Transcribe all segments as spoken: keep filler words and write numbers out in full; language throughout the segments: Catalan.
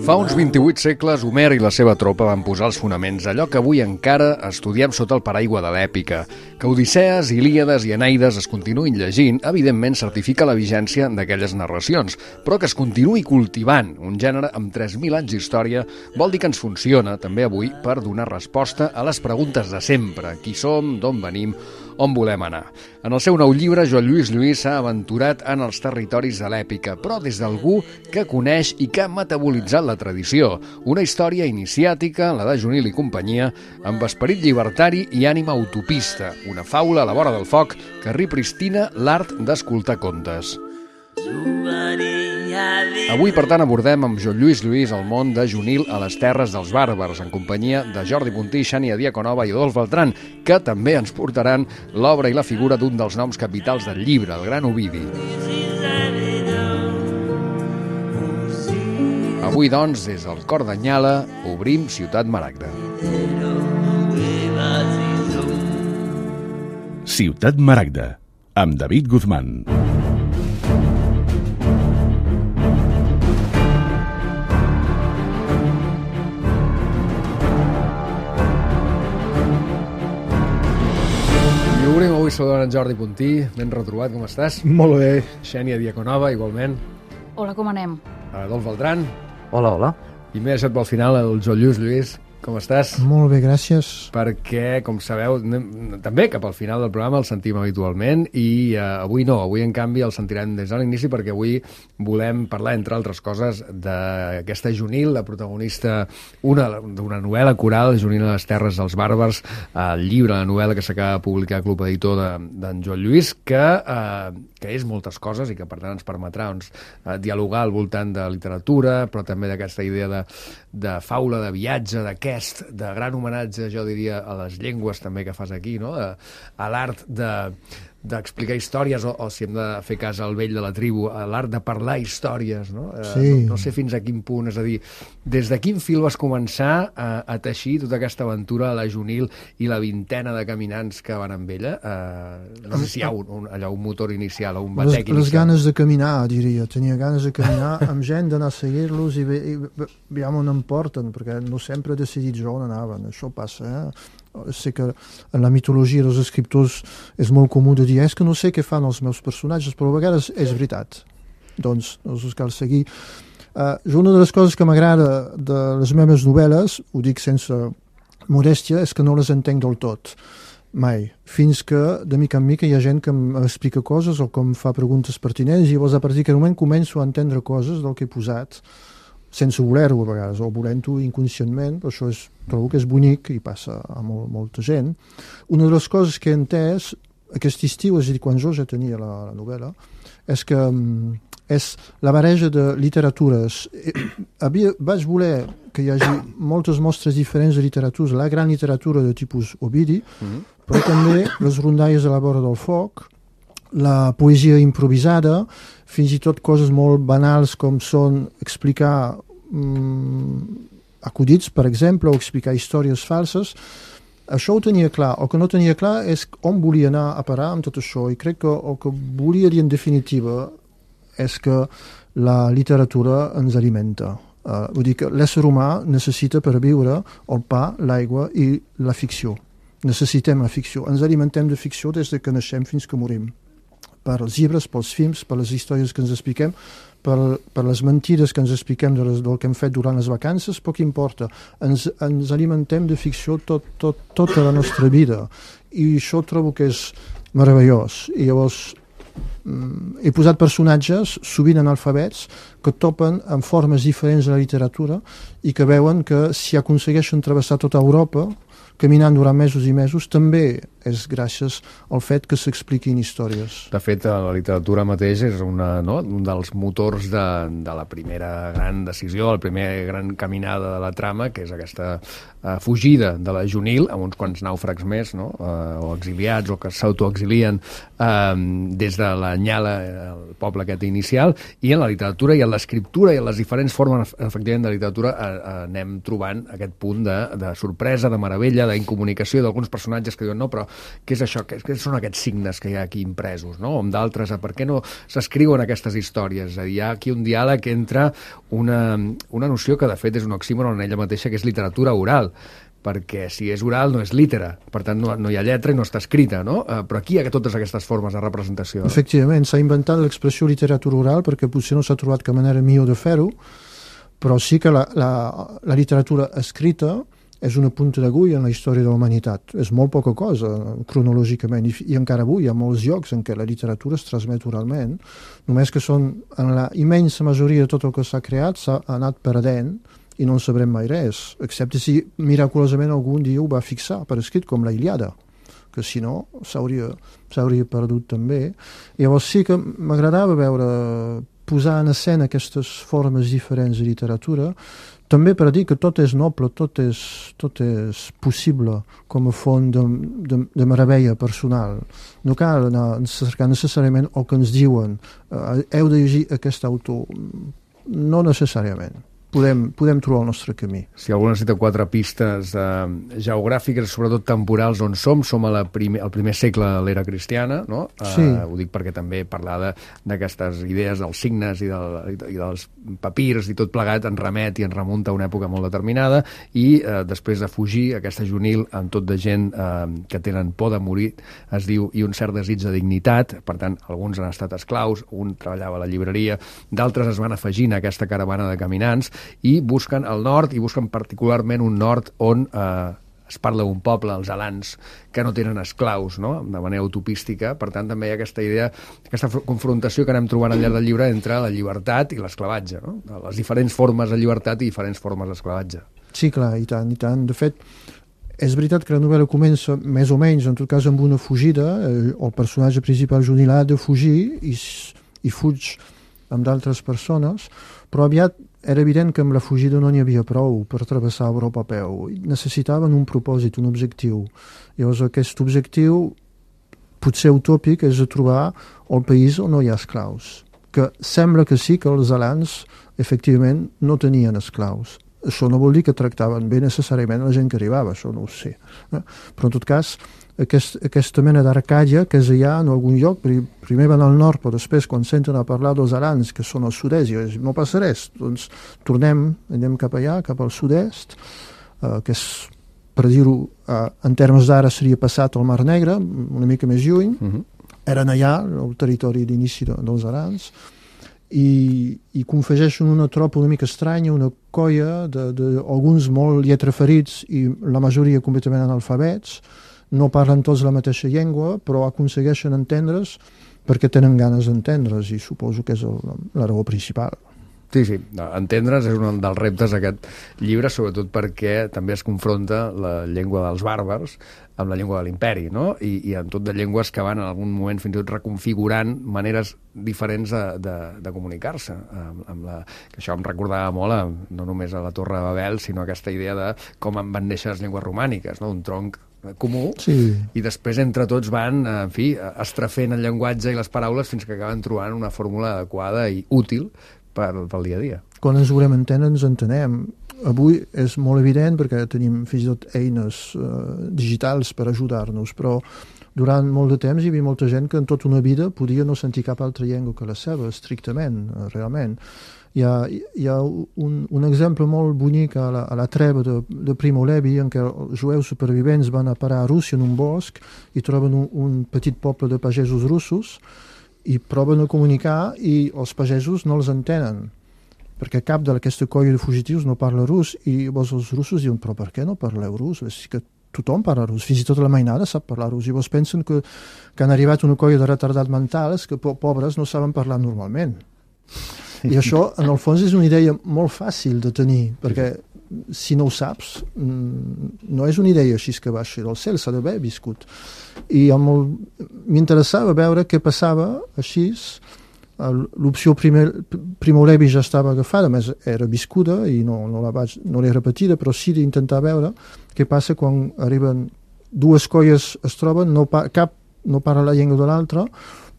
Fa uns vint-i-vuit segles, Homer i la seva tropa van posar els fonaments allò que avui encara estudiem sota el paraigua de l'èpica. Que Odissees, Ilíades i Enaides es continuïn llegint, evidentment certifica la vigència d'aquelles narracions, però que es continuï cultivant un gènere amb tres mil anys d'història vol dir que ens funciona, també avui, per donar resposta a les preguntes de sempre. Qui som, d'on venim, on volem anar. En el seu nou llibre, Joan Lluís Lluís s'ha aventurat en els territoris de l'èpica, però des d'algú que coneix i que ha metabolitzat la tradició. Una història iniciàtica, la de Junil i companyia, amb esperit llibertari i ànima utopista. Una faula a la vora del foc que ripristina l'art d'escoltar contes. Avui, per tant, abordem amb Joan Lluís Lluís el món de Junil a les terres dels bàrbars, en companyia de Jordi Puntí, Xènia Diaconova i Adolf Beltrán, que també ens portaran l'obra i la figura d'un dels noms capitals del llibre, el gran Ovidi. Avui, doncs, des del cor d'Anyala, obrim Ciutat Maragda. Ciutat Maragda, amb David Guzmán. Obrim avui saludant en Jordi Puntí, ben retrobat, com estàs? Molt bé. Xènia Diaconova, igualment. Hola, com anem? Adolf Beltrán. Hola, hola. I m'he deixat pel final el Joan Lluís Lluís. Com estàs? Molt bé, gràcies. Perquè, com sabeu, també cap al final del programa el sentim habitualment i uh, avui no, avui en canvi el sentirem des de l'inici perquè avui volem parlar, entre altres coses, d'aquesta Junil, la protagonista d'una novel·la coral, Junil a les terres dels bàrbars, el llibre, la novel·la que s'acaba de publicar al Club Editor d'en Joan Lluís, que, uh, que és moltes coses i que per tant ens permetrà doncs, uh, dialogar al voltant de literatura, però també d'aquesta idea de, de faula, de viatge, de aquest, de gran homenatge, jo diria, a les llengües també que fas aquí, no? a, a l'art de d'explicar històries, o, o si hem de fer cas al vell de la tribu, a l'art de parlar històries, no? Sí. Eh, no, no sé fins a quin punt, és a dir, des de quin fil vas començar a, a teixir tota aquesta aventura a la Junil i la vintena de caminants que van amb ella? Eh, no sé si hi ha un, un, allò, un motor inicial o un batec les, inicial. Les ganes de caminar, diria. Tenia ganes de caminar amb gent, d'anar a seguir-los i, i veiem on em porten, perquè no sempre he decidit jo on anaven. Això passa, eh? Sé que en la mitologia dels escriptors és molt comú de dir és que no sé què fan els meus personatges, però a vegades és veritat. Doncs, doncs cal seguir. Uh, una de les coses que m'agrada de les meves novel·les, ho dic sense modèstia, és que no les entenc del tot. Mai. Fins que, de mica en mica, hi ha gent que m'explica coses o que em fa preguntes pertinents i llavors a partir d'aquest moment començo a entendre coses del que he posat sense voler-ho a vegades, o volent-ho inconscientment, però això és, trobo que és bonic i passa a molt, molta gent. Una de les coses que he entès aquest estiu, és a dir, quan jo ja tenia la, la novel·la, és que um, és la barreja de literatures. Havia, vaig voler que hi hagi moltes mostres diferents de literatures, la gran literatura de tipus Ovidi, mm-hmm. però també les rondalles a la vora del foc, la poesia improvisada, fins i tot coses molt banals com són explicar mm, acudits, per exemple, o explicar històries falses. Això ho tenia clar. El que no tenia clar és on volia anar a parar amb tot això, i crec que el que volia dir en definitiva és que la literatura ens alimenta. Uh, vull dir que l'ésser humà necessita per viure el pa, l'aigua i la ficció. Necessitem la ficció. Ens alimentem de ficció des de que naixem fins que morim. Per als llibres, pels films, per les històries que ens expliquem, per, per les mentides que ens expliquem de les, del que hem fet durant les vacances, poc importa. Ens, ens alimentem de ficció tot, tot, tota la nostra vida. I això trobo que és meravellós. I llavors mm, he posat personatges, sovint analfabets, que topen amb formes diferents de la literatura i que veuen que si aconsegueixen travessar tota Europa caminant durant mesos i mesos, també és gràcies al fet que s'expliquin històries. De fet, la literatura mateix és una, no? un dels motors de, de la primera gran decisió, la primera gran caminada de la trama, que és aquesta uh, fugida de la Junil, amb uns quants nàufrags més, no? uh, o exiliats, o que s'autoexilien uh, des de la Nyala, el poble aquest inicial, i en la literatura i en l'escriptura i en les diferents formes, efectivament, de literatura uh, uh, anem trobant aquest punt de, de sorpresa, de meravella, d'incomunicació d'alguns personatges que diuen no, però què és això? Què, què són aquests signes que hi ha aquí impresos, no? O amb d'altres, per què no s'escriuen aquestes històries? És a dir, hi ha aquí un diàleg entre una, una noció que de fet és un oxímoron en ella mateixa, que és literatura oral, perquè si és oral no és lítera, per tant no, no hi ha lletra i no està escrita, no? Uh, però aquí hi ha totes aquestes formes de representació. Efectivament, s'ha inventat l'expressió literatura oral perquè potser no s'ha trobat cap manera millor de fer-ho, però sí que la, la, la literatura escrita és una punta d'agulla en la història de la humanitat. És molt poca cosa, cronològicament, i, i encara avui hi ha molts llocs en què la literatura es transmet oralment, només que són, en la immensa majoria de tot el que s'ha creat, s'ha anat perdent, i no en sabrem mai res, excepte si miraculosament algun dia ho va fixar per escrit, com la Ilíada, que si no s'hauria s'hauria perdut també. Llavors sí que m'agradava veure, posar en escena aquestes formes diferents de literatura, també per dir que tot és noble, tot és, tot és possible com a font de, de, de meravella personal. No cal anar cercar necessàriament el que ens diuen, eh, heu de llegir aquest autor, no necessàriament. Podem, podem trobar el nostre camí. Si algú necessita quatre pistes eh, geogràfiques, sobretot temporals, on som, som a la primer, al primer segle de l'era cristiana, no? Sí. Eh, ho dic perquè també parlar d'aquestes idees dels signes i, del, i dels papirs i tot plegat en remet i en remunta a una època molt determinada, i eh, després de fugir, aquesta juvenil amb tot de gent eh, que tenen por de morir, es diu, i un cert desig de dignitat. Per tant, alguns han estat esclaus, un treballava a la llibreria, d'altres es van afegint a aquesta caravana de caminants i busquen el nord, i busquen particularment un nord on eh, es parla d'un poble, els alans, que no tenen esclaus, no? De manera utopística. Per tant, també hi ha aquesta idea, aquesta confrontació que anem trobant al llarg del llibre entre la llibertat i l'esclavatge, no? Les diferents formes de llibertat i diferents formes d'esclavatge. Sí, clar, i tant, i tant. De fet, és veritat que la novel·la comença més o menys, en tot cas, amb una fugida. El personatge principal, Junilà, ha de fugir i, i fuig amb d'altres persones, però aviat era evident que amb la fugida no n'hi havia prou per travessar Europa a peu. Necessitaven un propòsit, un objectiu. Llavors aquest objectiu, potser utòpic, és de trobar el país on no hi ha esclaus. Que sembla que sí que els alans efectivament no tenien esclaus. Això no vol dir que tractaven bé necessàriament la gent que arribava, això no ho sé. Eh? Però en tot cas, aquest, aquesta mena d'Arcàdia que és allà en algun lloc, primer van al nord, però després quan senten a parlar dels alans, que són al sud-est, i no passa res, doncs tornem, anem cap allà, cap al sud-est, eh, que és, per dir-ho, eh, en termes d'ara seria passat al Mar Negre, una mica més lluny, uh-huh. Eren allà, el territori d'inici de, dels alans, i, i confegeixen una tropa una mica estranya, una colla d'alguns molt lletraferits i la majoria completament analfabets, no parlen tots la mateixa llengua, però aconsegueixen entendre's perquè tenen ganes d'entendre's, i suposo que és el, la raó principal. Sí, sí, entendre's és un dels reptes d'aquest llibre, sobretot perquè també es confronta la llengua dels bàrbars amb la llengua de l'imperi, no? I, i en tot de llengües que van en algun moment fins i tot reconfigurant maneres diferents de, de, de comunicar-se. Amb, amb la, que això em recordava molt, a, no només a la Torre de Babel, sinó aquesta idea de com en van néixer les llengües romàniques, no? Un tronc comú, sí. I després entre tots van, en fi, estrafent el llenguatge i les paraules fins que acaben trobant una fórmula adequada i útil pel, pel dia a dia. Quan ens volem entendre ens entenem. Avui és molt evident perquè tenim fins i tot eines uh, digitals per ajudar-nos, però durant molt de temps hi havia molta gent que en tota una vida podia no sentir cap altra llengua que la seva, estrictament, uh, realment. Hi ha, hi ha un, un exemple molt bonic a la, a la treva de, de Primo Levi, en què els jueus supervivents van a parar a Rússia en un bosc i troben un, un petit poble de pagesos russos i proven a comunicar i els pagesos no els entenen, perquè cap d'aquesta colla de fugitius no parla rus, i llavors els russos diuen, però per què no parleu rus? És que tothom parla rus, fins i tot la mainada sap parlar rus, i llavors pensen que, que han arribat una colla de retardats mentals que pobres no saben parlar normalment. I això, en el fons, és una idea molt fàcil de tenir, perquè si no ho saps, no és una idea així que baixa del cel, s'ha d'haver viscut. I m'interessava veure què passava així. L'opció Primo Levi ja estava agafada, a més era viscuda i no, no la vaig, no l'he repetida, però sí d'intentar veure què passa quan arriben dues colles, es troben, no pa, cap no parla la llengua de l'altra,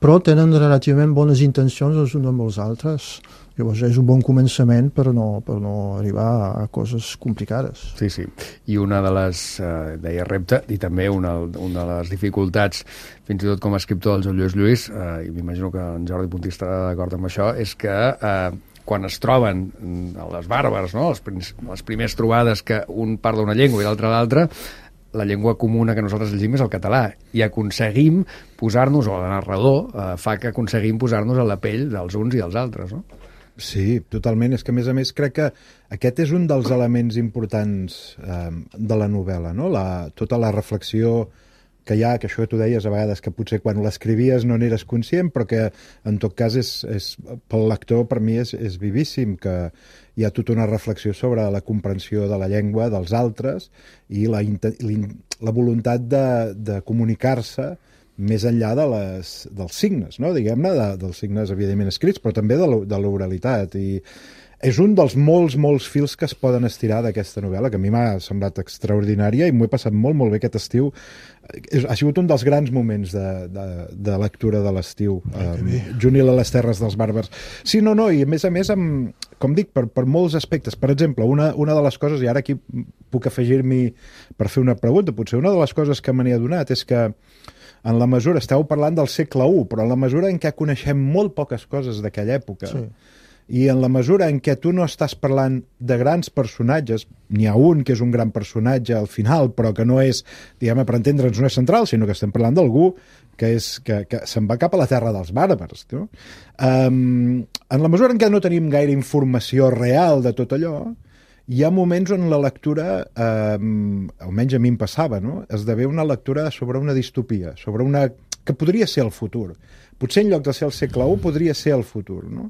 però tenen relativament bones intencions els uns amb els altres. Llavors és un bon començament per no, per no arribar a coses complicades. Sí, sí. I una de les, eh, deia repte, i també una, una de les dificultats, fins i tot com a escriptor del Lluís Lluís, eh, i m'imagino que en Jordi Puntí estarà d'acord amb això, és que eh, quan es troben a les bàrbars, no? les, les primeres trobades que un parla una llengua i l'altre l'altra, la llengua comuna que nosaltres llegim és el català, i aconseguim posar-nos, o el narrador eh, fa que aconseguim posar-nos a la pell dels uns i dels altres, no? Sí, totalment. És que, a més a més, crec que aquest és un dels elements importants eh, de la novel·la, no? La, tota la reflexió que hi ha, que això que tu deies a vegades, que potser quan l'escrivies no n'eres conscient, però que en tot cas és, és, pel lector per mi és, és vivíssim, que hi ha tota una reflexió sobre la comprensió de la llengua dels altres i la, la voluntat de, de comunicar-se més enllà de les, dels signes, no? Diguem-ne, de, dels signes evidentment escrits, però també de l'oralitat. I és un dels molts, molts fils que es poden estirar d'aquesta novel·la, que a mi m'ha semblat extraordinària i m'ho he passat molt, molt bé aquest estiu. Ha sigut un dels grans moments de, de, de lectura de l'estiu, um, juvenil a les terres dels bàrbars. Sí, no, no, i a més a més, amb, com dic, per, per molts aspectes. Per exemple, una, una de les coses, i ara aquí puc afegir-m'hi per fer una pregunta, potser una de les coses que me n'he adonat és que en la mesura, esteu parlant del segle u, però en la mesura en què coneixem molt poques coses d'aquella època, sí. I en la mesura en què tu no estàs parlant de grans personatges, n'hi ha un que és un gran personatge al final, però que no és, diguem-ne, per entendre'ns, no és central, sinó que estem parlant d'algú que, és, que, que se'n va cap a la terra dels bàrbars. No? Um, en la mesura en què no tenim gaire informació real de tot allò, hi ha moments on la lectura, eh, almenys a mi em passava, no? Esdevé una lectura sobre una distopia, sobre una que podria ser el futur. Potser en lloc de ser el segle u podria ser el futur, no?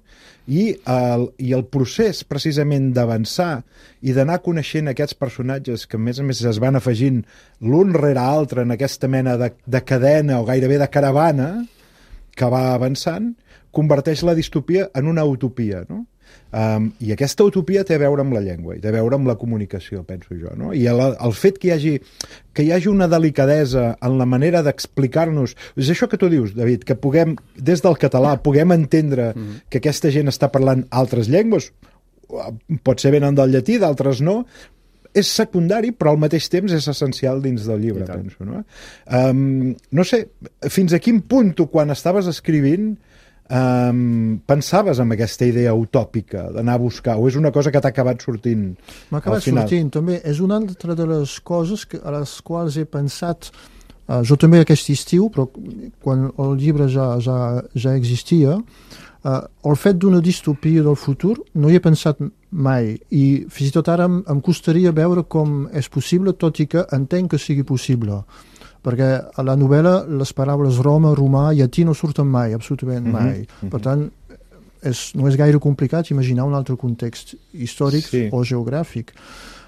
I el, i el procés precisament d'avançar i d'anar coneixent aquests personatges que a més a més es van afegint l'un rere l'altre en aquesta mena de, de cadena o gairebé de caravana que va avançant, converteix la distopia en una utopia, no? Um, i aquesta utopia té a veure amb la llengua i té a veure amb la comunicació, penso jo, no? I el, el fet que hi hagi que hi hagi una delicadesa en la manera d'explicar-nos, és això que tu dius, David, que puguem, des del català puguem entendre mm. que aquesta gent està parlant altres llengües, pot ser venen del llatí, d'altres no, és secundari, però al mateix temps és essencial dins del llibre, penso, no? Um, no sé, fins a quin punt tu, quan estaves escrivint, Um, pensaves en aquesta idea utòpica d'anar a buscar, o és una cosa que t'ha acabat sortint al final? M'ha acabat sortint, també. És una altra de les coses que, a les quals he pensat, uh, jo també aquest estiu, però quan el llibre ja, ja, ja existia, uh, el fet d'una distopia del futur no hi he pensat mai, i fins i tot ara em, em costaria veure com és possible, tot i que entenc que sigui possible. Perquè a la novel·la les paraules Roma, romà, llatí no surten mai, absolutament mai. Mm-hmm. Per tant, és, no és gaire complicat imaginar un altre context històric sí. o geogràfic.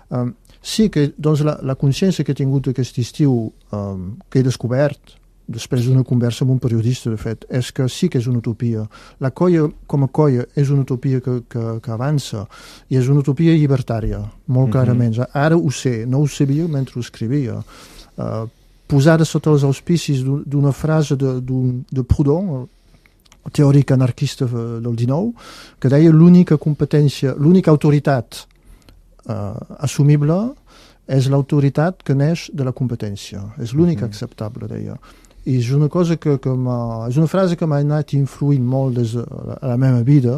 Um, sí que doncs, la, la consciència que he tingut aquest estiu, um, que he descobert després d'una conversa amb un periodista, de fet, és que sí que és una utopia. La colla, com a colla, és una utopia que, que, que avança, i és una utopia llibertària, molt mm-hmm. clarament. Ara ho sé, no ho sabia mentre ho escrivia. Uh, posada sota els auspicis d'una frase de, de Proudhon, el teòric anarquista del dinou, que deia l'única competència, l'única autoritat eh, assumible és l'autoritat que neix de la competència. És l'única mm-hmm. acceptable, deia. I és una cosa que, que és una frase que m'ha anat influint molt des de la, la meva vida,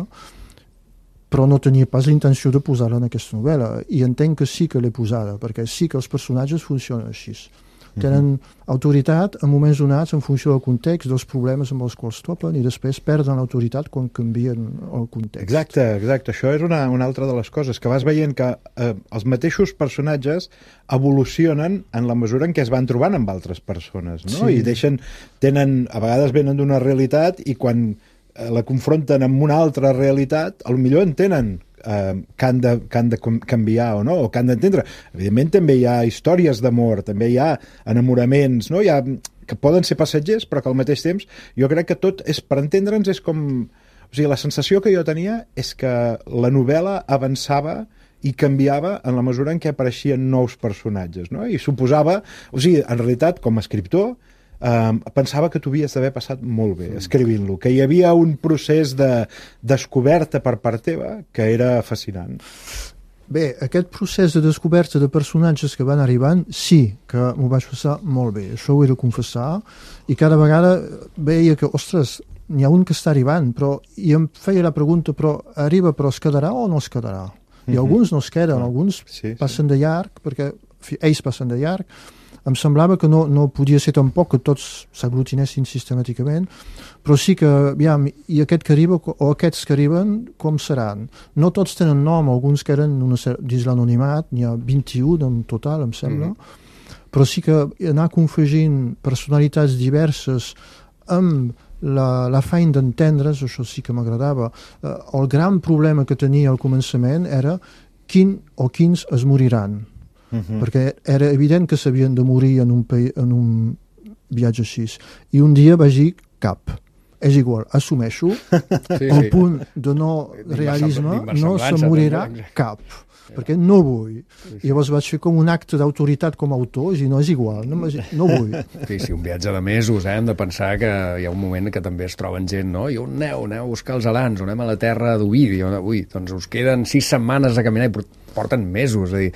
però no tenia pas l'intenció de posar-la en aquesta novel·la. I entenc que sí que l'he posada, perquè sí que els personatges funcionen així. Tenen autoritat en moments donats en funció del context, dels problemes amb els quals topen, i després perden l'autoritat quan canvien el context. Exacte, exacte. Això és una, una altra de les coses, que vas veient que eh, els mateixos personatges evolucionen en la mesura en què es van trobant amb altres persones, no? Sí. I deixen, tenen, a vegades venen d'una realitat i quan eh, la confronten amb una altra realitat, potser entenen Uh, que, han de, que han de canviar o no, o que han d'entendre. Evidentment també hi ha històries d'amor, també hi ha enamoraments, no? Hi ha, que poden ser passatgers, però que al mateix temps jo crec que tot és, per entendre'ns, és com... O sigui, la sensació que jo tenia és que la novel·la avançava i canviava en la mesura en què apareixien nous personatges, no? I suposava... O sigui, en realitat, com a escriptor, Um, pensava que t'ho havies d'haver passat molt bé escrivint-lo, que hi havia un procés de descoberta per part teva que era fascinant. Bé, aquest procés de descoberta de personatges que van arribant, sí que m'ho vaig passar molt bé, això ho he de confessar, i cada vegada veia que, ostres, n'hi ha un que està arribant, però i em feia la pregunta, però arriba, però es quedarà o no es quedarà? I alguns no es queden, alguns sí, passen sí. de llarg, perquè ells passen de llarg. Em semblava que no, no podia ser tampoc que tots s'aglutinessin sistemàticament, però sí que, aviam, i aquest que arriba, o aquests que arriben, com seran? No tots tenen nom, alguns queden una, dins l'anonimat, n'hi ha vint-i-un en total, em sembla, mm-hmm. però sí que anar confegint personalitats diverses amb la, la feina d'entendre's, això sí que m'agradava. Eh, el gran problema que tenia al començament era quin o quins es moriran. Uh-huh. Perquè era evident que s'havien de morir en un, en un viatge així. I un dia vaig dir cap. És igual, assumeixo sí, el sí. punt de no realisme, no se morirà cap. Perquè no vull. I llavors vaig fer com un acte d'autoritat com a autor i no és igual, no, no vull. Sí, sí, un viatge de mesos, eh? Hem de pensar que hi ha un moment que també es troben gent, no? I on aneu? Aneu a buscar els alans, on anem a la terra d'Ovidi? Ui, doncs us queden sis setmanes a caminar i porten mesos, és a dir,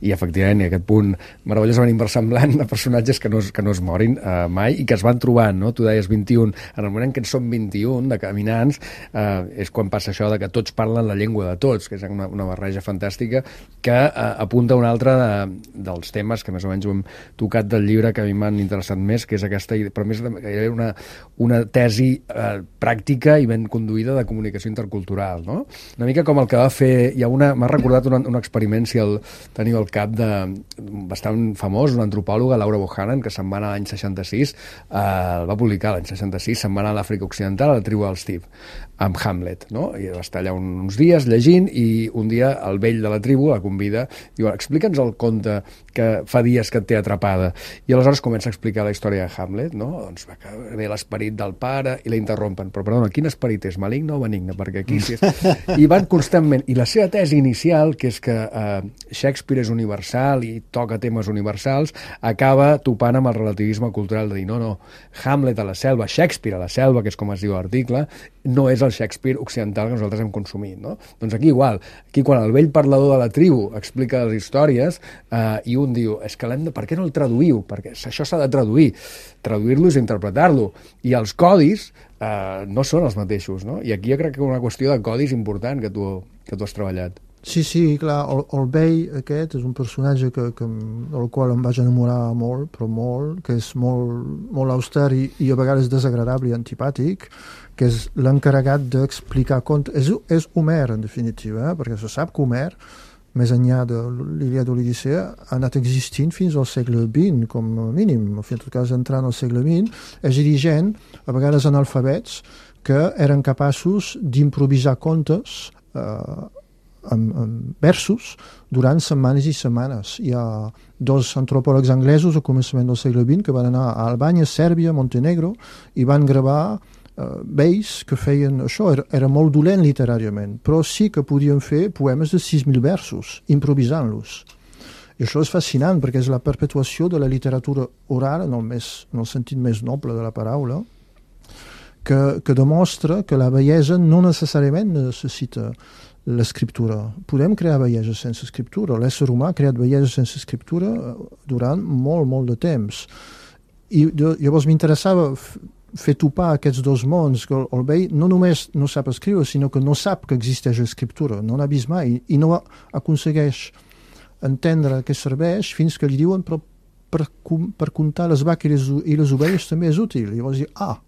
i efectivament i aquest punt meravellosament inversemblant de personatges que no, es, que no es morin eh, mai i que es van trobant, no? Tu deies vint-i-un, en el moment en què en som vint-i-un de caminants, eh, és quan passa això de que tots parlen la llengua de tots, que és una, una barreja fantàstica que eh, apunta un altre de, dels temes que més o menys ho hem tocat del llibre que a mi m'han interessat més, que és aquesta, però més gairebé una, una tesi eh, pràctica i ben conduïda de comunicació intercultural, no? Una mica com el que va fer, hi ha una, m'ha recordat una, una experiment, si el teniu al cap, de bastant famós, una antropòloga, Laura Bohannan, que se'n va anar l'any seixanta-sis, eh, el va publicar l'any seixanta-sis, se'n va anar a l'Àfrica Occidental, a la tribu del Steve, amb Hamlet, no? I va estar allà uns dies llegint i un dia el vell de la tribu la convida, diu, explica'ns el conte que fa dies que et té atrapada. I aleshores comença a explicar la història de Hamlet, no? Doncs va ve l'esperit del pare i la interrompen. Però, perdona, quin esperit és? Maligne o benigne? Perquè aquí sí és... I van constantment. I la seva tesi inicial, que és que eh, Shakespeare és universal i toca temes universals, acaba topant amb el relativisme cultural de dir, no, no, Hamlet a la selva, Shakespeare a la selva, que és com es diu l'article, no és el Shakespeare occidental que nosaltres hem consumit, no? Doncs aquí igual, aquí quan el vell parlador de la tribu explica les històries eh, i un diu, és que l'hem de... Per què no el traduïu? Perquè això s'ha de traduir. Traduir-lo és interpretar-lo. I els codis eh, no són els mateixos, no? I aquí jo crec que una qüestió de codis important que tu, que tu has treballat. Sí, sí, clar, el, el vell aquest és un personatge que, que, del qual em vaig enamorar molt, però molt, que és molt, molt auster i, i a vegades desagradable i antipàtic, que és l'encarregat d'explicar contes. És, és Homer, en definitiva, eh? Perquè se sap que Homer, més enllà de l'Ilíada o l'Odissea, ha anat existint fins al segle vint, com a mínim, en tot cas entrant al segle vint, és dirigent, a vegades analfabets, que eren capaços d'improvisar contes eh, amb, amb versos durant setmanes i setmanes. Hi ha dos antropòlegs anglesos al començament del segle vint que van anar a Albània, Sèrbia, Montenegro i van gravar eh, vells que feien això. Era, era molt dolent literàriament, però sí que podien fer poemes de sis mil versos, improvisant-los. I això és fascinant perquè és la perpetuació de la literatura oral en el, més, en el sentit més noble de la paraula, que, que demostra que la bellesa no necessàriament necessita l'escriptura. Podem crear bellesa sense escriptura. L'ésser humà ha creat bellesa sense escriptura durant molt, molt de temps. I llavors m'interessava fer topar aquests dos mons, que el vell no només no sap escriure, sinó que no sap que existeix escriptura, no n'ha vist mai, i no aconsegueix entendre què serveix fins que li diuen però per, per comptar les vaques i les, i les ovelles també és útil. I llavors dir, ah,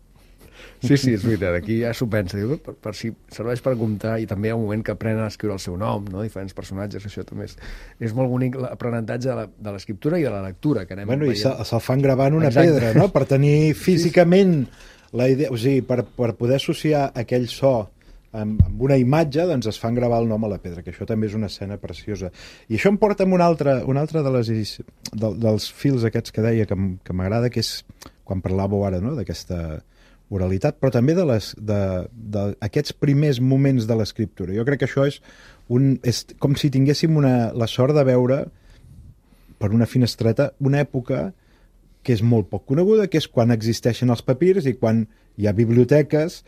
sí, sí, és veritat, aquí ja s'ho pensa, diu, per, per si serveix per comptar, i també hi ha un moment que aprenen a escriure el seu nom, no? Diferents personatges, això també és, és molt bonic l'aprenentatge de l'escriptura i de la lectura, que anem bueno, veient. I se'l se fan gravant una Exacte. pedra, no?, per tenir físicament la idea, o sigui, per, per poder associar aquell so amb, amb una imatge, doncs es fan gravar el nom a la pedra, que això també és una escena preciosa. I això em porta amb un altre, un altre de les, de, dels fils aquests que deia que, que m'agrada, que és quan parlàveu ara, no?, d'aquesta oralitat, però també de les, de, de aquests primers moments de l'escriptura. Jo crec que això és, un, és com si tinguéssim una, la sort de veure per una finestreta una època que és molt poc coneguda, que és quan existeixen els papirs i quan hi ha biblioteques,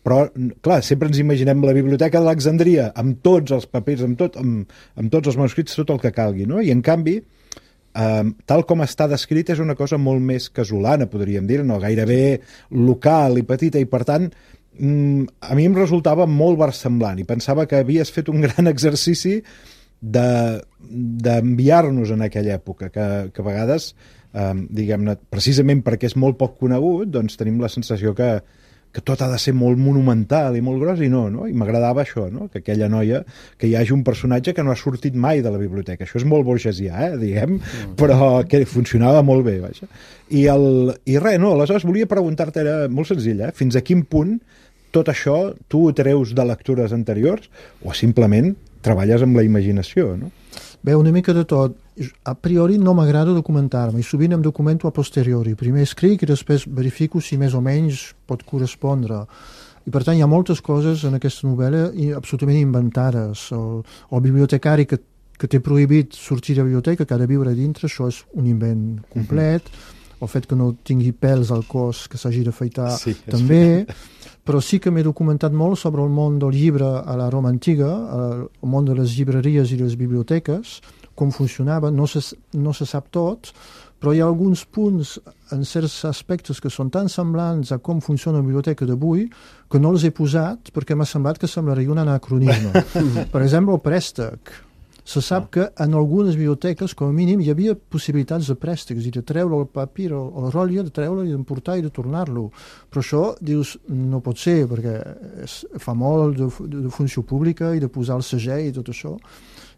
però, clar, sempre ens imaginem la biblioteca d'Alexandria amb tots els papirs, amb, tot, amb, amb tots els manuscrits, tot el que calgui, no? I en canvi, eh, tal com està descrit, és una cosa molt més casolana, podríem dir, no? Gairebé local i petita, i per tant, a mi em resultava molt versemblant i pensava que havies fet un gran exercici d'enviar-nos en aquella època, que, que a vegades, eh, diguem-ne, precisament perquè és molt poc conegut, doncs tenim la sensació que, que tot ha de ser molt monumental i molt gros, i no, no? I m'agradava això, no? Que aquella noia, que hi hagi un personatge que no ha sortit mai de la biblioteca. Això és molt burgesià, eh, diguem, mm. però que funcionava molt bé, vaja. I, el, i res, no, aleshores volia preguntar-te, era molt senzill, eh? Fins a quin punt tot això tu ho treus de lectures anteriors o simplement treballes amb la imaginació, no? Bé, una mica de tot. A priori no m'agrada documentar-me i sovint em documento a posteriori. Primer escric i després verifico si més o menys pot correspondre. I per tant hi ha moltes coses en aquesta novel·la absolutament inventades. El, el bibliotecari que, que té prohibit sortir de la biblioteca, que ha de viure dintre, això és un invent complet. Mm-hmm. El fet que no tingui pèls al cos, que s'hagi d'afaitar, sí, també. Però sí que m'he documentat molt sobre el món del llibre a la Roma antiga, el món de les llibreries i les biblioteques, com funcionava, no se, no se sap tot, però hi ha alguns punts en certs aspectes que són tan semblants a com funciona la biblioteca d'avui que no els he posat perquè m'ha semblat que semblaria un anacronisme. Per exemple, el préstec. Se sap que en algunes biblioteques, com a mínim, hi havia possibilitats de préstec, és a dir, de treure el papir o el rotllo, de treure i d'emportar i de tornar-lo. Però això, dius, no pot ser, perquè es, fa molt de, de funció pública i de posar el segell i tot això.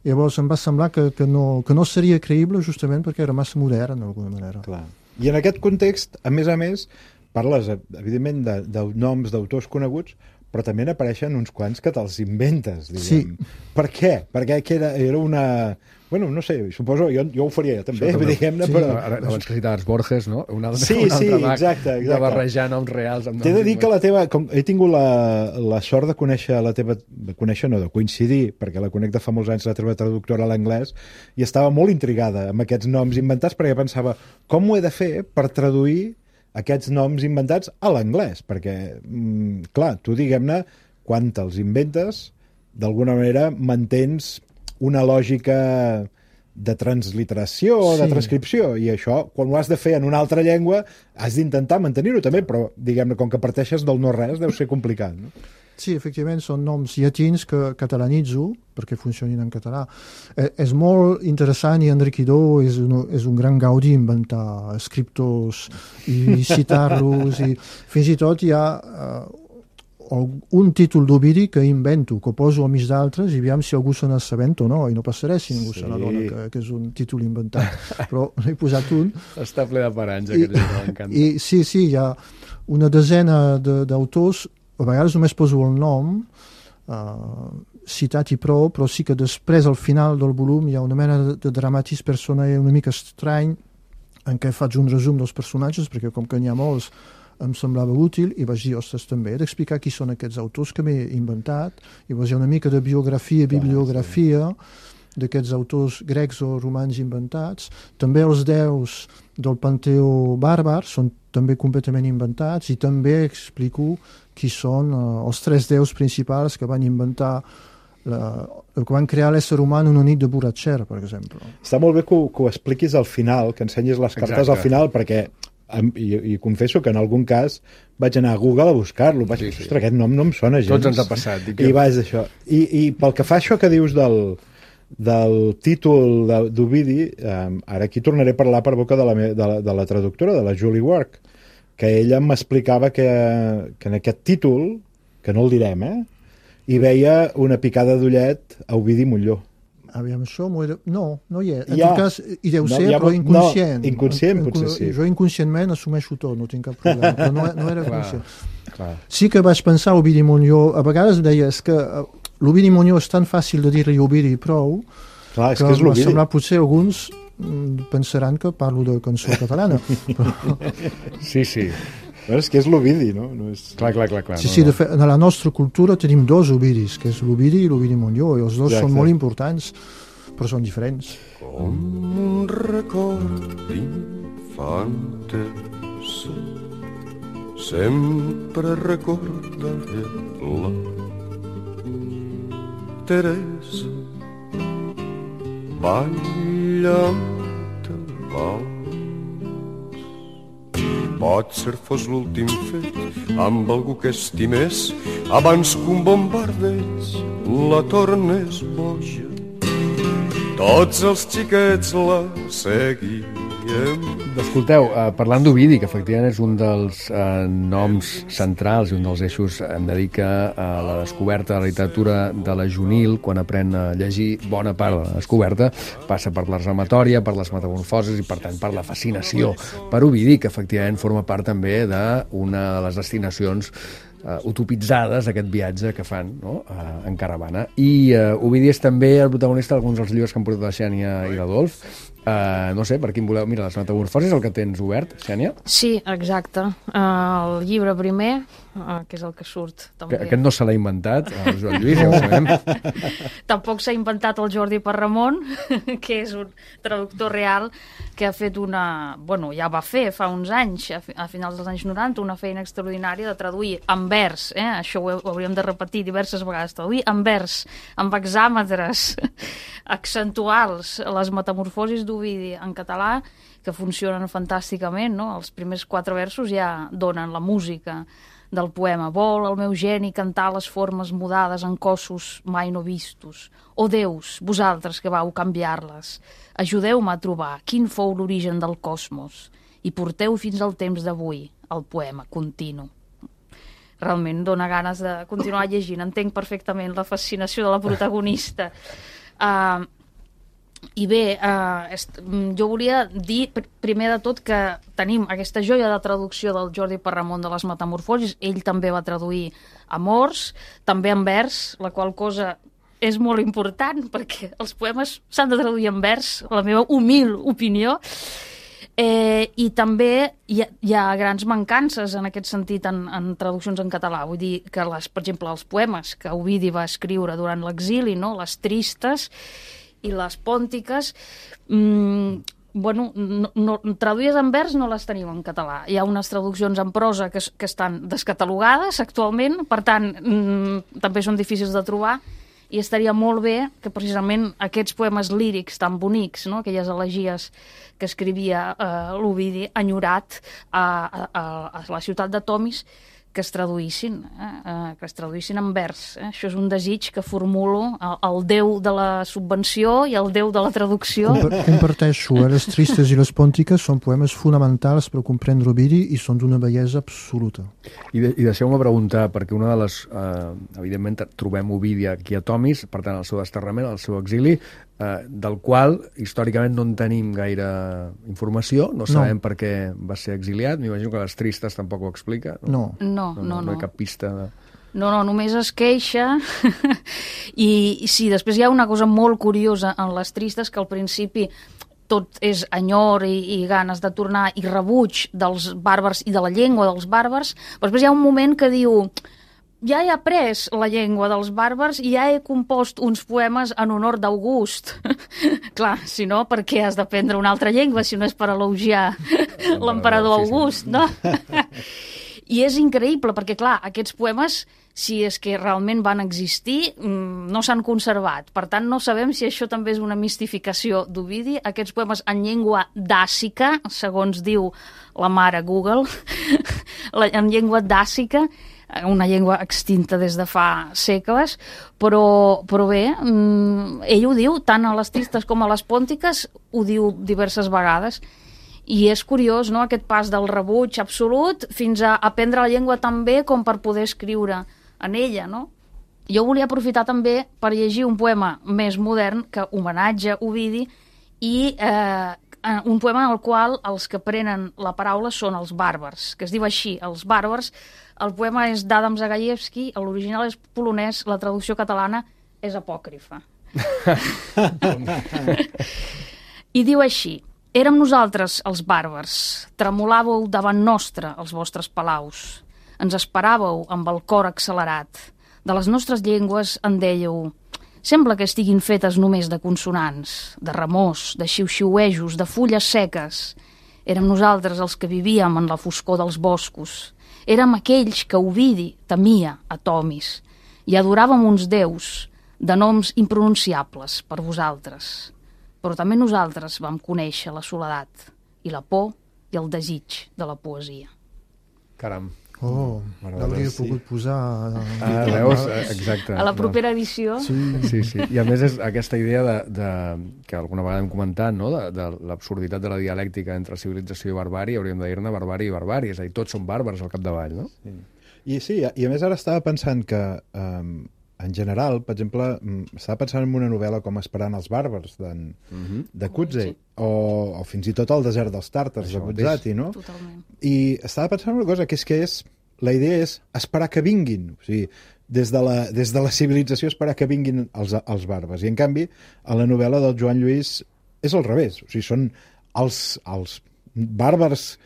I llavors em va semblar que, que, no, que no seria creïble justament perquè era massa modern, d'alguna manera. Clar. I en aquest context, a més a més, parles, evidentment, de, de noms d'autors coneguts, però també n'apareixen uns quants que te'ls inventes, diguem. Sí. Per què? Perquè era, era una... Bueno, no sé, suposo, jo, jo ho faria també, diguem-ne, sí, però... Ara, abans que citaves Borges, no? Un altre, sí, un altre sí, mag exacte, exacte. De barrejar noms reals amb noms... T'he de dir que la teva... Com, he tingut la, la sort de conèixer la teva... De conèixer, no, de coincidir, perquè la conec de fa molts anys, la teva traductora a l'anglès, i estava molt intrigada amb aquests noms inventats, perquè pensava, com ho he de fer per traduir aquests noms inventats a l'anglès? Perquè, mm, clar, tu, diguem-ne, quan te'ls inventes, d'alguna manera mantens una lògica de transliteració o sí. de transcripció, i això, quan ho has de fer en una altra llengua, has d'intentar mantenir-ho també, però, diguem-ne, com que parteixes del no-res, deu ser complicat, no? Sí, efectivament, són noms llatins que catalanitzo perquè funcionin en català. Eh, és molt interessant i enriquidor, és un, és un gran gaudi inventar escriptors i citar-los, i fins i tot hi ha... Eh, un títol d'Ovidi que invento, que poso al mig d'altres i aviam si algú se n'assabenta o no, i no passarà si ningú sí. se n'adona que, que és un títol inventat, però n'he posat un. Està ple de paranys, aquest llibre, m'encanta. I sí, sí, hi ha una desena d'autors, a vegades només poso el nom, uh, citat i prou, però sí que després, al final del volum, hi ha una mena de, de dramatis personae una mica estrany, en què faig un resum dels personatges, perquè com que n'hi ha molts, em semblava útil, i vaig dir, ostres, també he d'explicar qui són aquests autors que m'he inventat, i vaig dir una mica de biografia i bibliografia d'aquests autors grecs o romans inventats. També els déus del panteó bàrbar són també completament inventats, i també explico qui són uh, els tres déus principals que van inventar La, el que van crear l'ésser humà en una nit de borratxera, per exemple. Està molt bé que ho, que ho expliquis al final, que ensenyis les cartes Exacte. Al final, perquè i, i confesso que en algun cas vaig anar a Google a buscar-lo, vaig dir, sí, sí. ostres, aquest nom no em sona gens. Tots ens ha passat. I, que... I vaig això. I, I pel que fa això que dius del, del títol d'Ovidi, eh, ara aquí tornaré a parlar per boca de la, me, de la, de la traductora, de la Julie Ward, que ella m'explicava que, que en aquest títol, que no el direm, eh, hi veia una picada d'ullet a Ovidi Montllor. Aviam, això m'ho he de... No, no hi és. En ja. tot cas, hi deu no, ser, ja, però inconscient. No, inconscient, potser sí. Jo inconscientment assumeixo tot, no tinc cap problema, però no, no era clar, conscient. Clar. Sí que vaig pensar a Ovidi Montllor, a vegades deia, és que l'Ovidi Montllor és tan fàcil de dir-li Ovidi prou, clar, és que, que m'ha semblat potser alguns pensaran que parlo de cançó catalana. Però... Sí, sí. Però és que és l'Ovidi, no? no és... Clar, clar, clar. clar sí, no, sí, no. de fet, en la nostra cultura tenim dos Ovidis, que és l'Ovidi i l'Ovidi Montllor, i els dos ja, són molt importants, però són diferents. Com un record infantesa, sempre recordaré la Teresa ballant el vals. Potser fos l'últim fet amb algú que estimés abans que un bombardeig la tornés boja. Tots els xiquets la seguien. Escolteu, eh, parlant d'Ovidi, que efectivament és un dels eh, noms centrals i un dels eixos em dedica a la descoberta de la literatura de la juvenil, quan aprèn a llegir bona part de la descoberta, passa per la rematòria, per les metamorfosis i, per tant, per la fascinació per Ovidi, que efectivament forma part també d'una de les destinacions Uh, utopitzades, aquest viatge que fan, no? uh, en caravana. I uh, Ovidi és també el protagonista d'alguns dels llibres que han portat la Xènia i l'Adolf. Uh, no sé, per quin voleu... Mira, les metamorfosis, el que tens obert, Xènia? Sí, exacte. Uh, el llibre primer, uh, que és el que surt també. Que, aquest no se l'ha inventat, el Joan Lluís, ja ho sabem. Tampoc s'ha inventat el Jordi Parramon, que és un traductor real que ha fet una... Bueno, ja va fer fa uns anys, a, a finals dels anys noranta, una feina extraordinària de traduir en vers, eh? Això ho, ho hauríem de repetir diverses vegades, traduir en vers, amb hexàmetres accentuals, les metamorfosis d'Ovidi en català, que funcionen fantàsticament, no? Els primers quatre versos ja donen la música del poema. Vol el meu geni cantar les formes mudades en cossos mai no vistos. O déus, vosaltres que vau canviar-les, ajudeu-me a trobar quin fou l'origen del cosmos i porteu fins al temps d'avui el poema continu. Realment dona ganes de continuar llegint. Entenc perfectament la fascinació de la protagonista. Uh, I bé, uh, est, jo volia dir pr primer de tot que tenim aquesta joia de traducció del Jordi Parramon de les Metamorfosis. Ell també va traduir Amors, també en vers, la qual cosa és molt important perquè els poemes s'han de traduir en vers, la meva humil opinió. Eh, I també hi ha, hi ha grans mancances en aquest sentit en, en traduccions en català. Vull dir que, les, per exemple, els poemes que Ovidi va escriure durant l'exili, no? Les tristes i les pòntiques, mmm, bueno, no, no, traduïdes en vers no les tenim en català. Hi ha unes traduccions en prosa que, que estan descatalogades actualment, per tant, mmm, també són difícils de trobar, i estaria molt bé que precisament aquests poemes lírics tan bonics, no? Aquelles elegies que escrivia eh, l'Ovidi, enyorat a, a, a la ciutat de Tomis, que es traduïssin, eh? que es traduïssin en vers. Eh? Això és un desig que formulo al déu de la subvenció i al déu de la traducció. Compa comparteixo, eh? Les tristes i les pòntiques són poemes fonamentals per comprendre Ovidi i són d'una bellesa absoluta. I, de, i deixeu-me preguntar, perquè una de les... Eh, evidentment trobem Ovidi aquí a Tomis, per tant, el seu desterrament, el seu exili, eh, del qual històricament no en tenim gaire informació, no sabem no. per què va ser exiliat, m'imagino que les tristes tampoc ho explica. No, no, no, no, no, no hi ha cap pista de... No, no, només es queixa i, i sí, després hi ha una cosa molt curiosa en les tristes, que al principi tot és enyor i, i ganes de tornar i rebuig dels bàrbars i de la llengua dels bàrbars, però després hi ha un moment que diu ja he après la llengua dels bàrbars i ja he compost uns poemes en honor d'August. Clar, si no, per què has d'aprendre una altra llengua si no és per elogiar l'emperador August, no? I és increïble, perquè, clar, aquests poemes, si és que realment van existir, no s'han conservat. Per tant, no sabem si això també és una mistificació d'Ovidi. Aquests poemes en llengua dàcica, segons diu la mare Google, en llengua dàcica, una llengua extinta des de fa segles, però, però bé, ell ho diu, tant a les tristes com a les pòntiques, ho diu diverses vegades. I és curiós, no?, aquest pas del rebuig absolut fins a aprendre la llengua tan bé com per poder escriure en ella, no? Jo volia aprofitar també per llegir un poema més modern que homenatja Ovidi i eh, un poema en el qual els que prenen la paraula són els bàrbars, que es diu així, els bàrbars. El poema és d'Adam Zagajewski, l'original és polonès, la traducció catalana és apòcrifa. I diu així: érem nosaltres, els bàrbars, tremolàveu davant nostre els vostres palaus, ens esperàveu amb el cor accelerat, de les nostres llengües en dèieu, sembla que estiguin fetes només de consonants, de remors, de xiu-xiuejos, de fulles seques, Érem nosaltres els que vivíem en la foscor dels boscos. Érem aquells que Ovidi temia a Tomis i adoràvem uns déus de noms impronunciables per vosaltres. Però també nosaltres vam conèixer la soledat i la por i el desig de la poesia. Caram. Oh, l'hauria pogut posar... Ah, veus? Exacte. A la propera edició. Sí, Sí, sí. I a més és aquesta idea de, de, que alguna vegada hem comentat, no? de, de l'absurditat de la dialèctica entre civilització i barbària, hauríem de dir-ne barbària i barbària, és a dir, tots són bàrbars al capdavall, no? Sí. I sí, i a més ara estava pensant que um, en general, per exemple, estava pensant en una novel·la com Esperant els bàrbars de, uh -huh. de Cutzey, sí. o, o fins i tot El desert dels tàrtars de Buzzati, no? Totalment. I estava pensant una cosa, que és que és la idea és esperar que vinguin, o sigui, des de la, des de la civilització esperar que vinguin els, els bàrbars. I, en canvi, a la novel·la del Joan Lluís és al revés. O sigui, són els, els bàrbars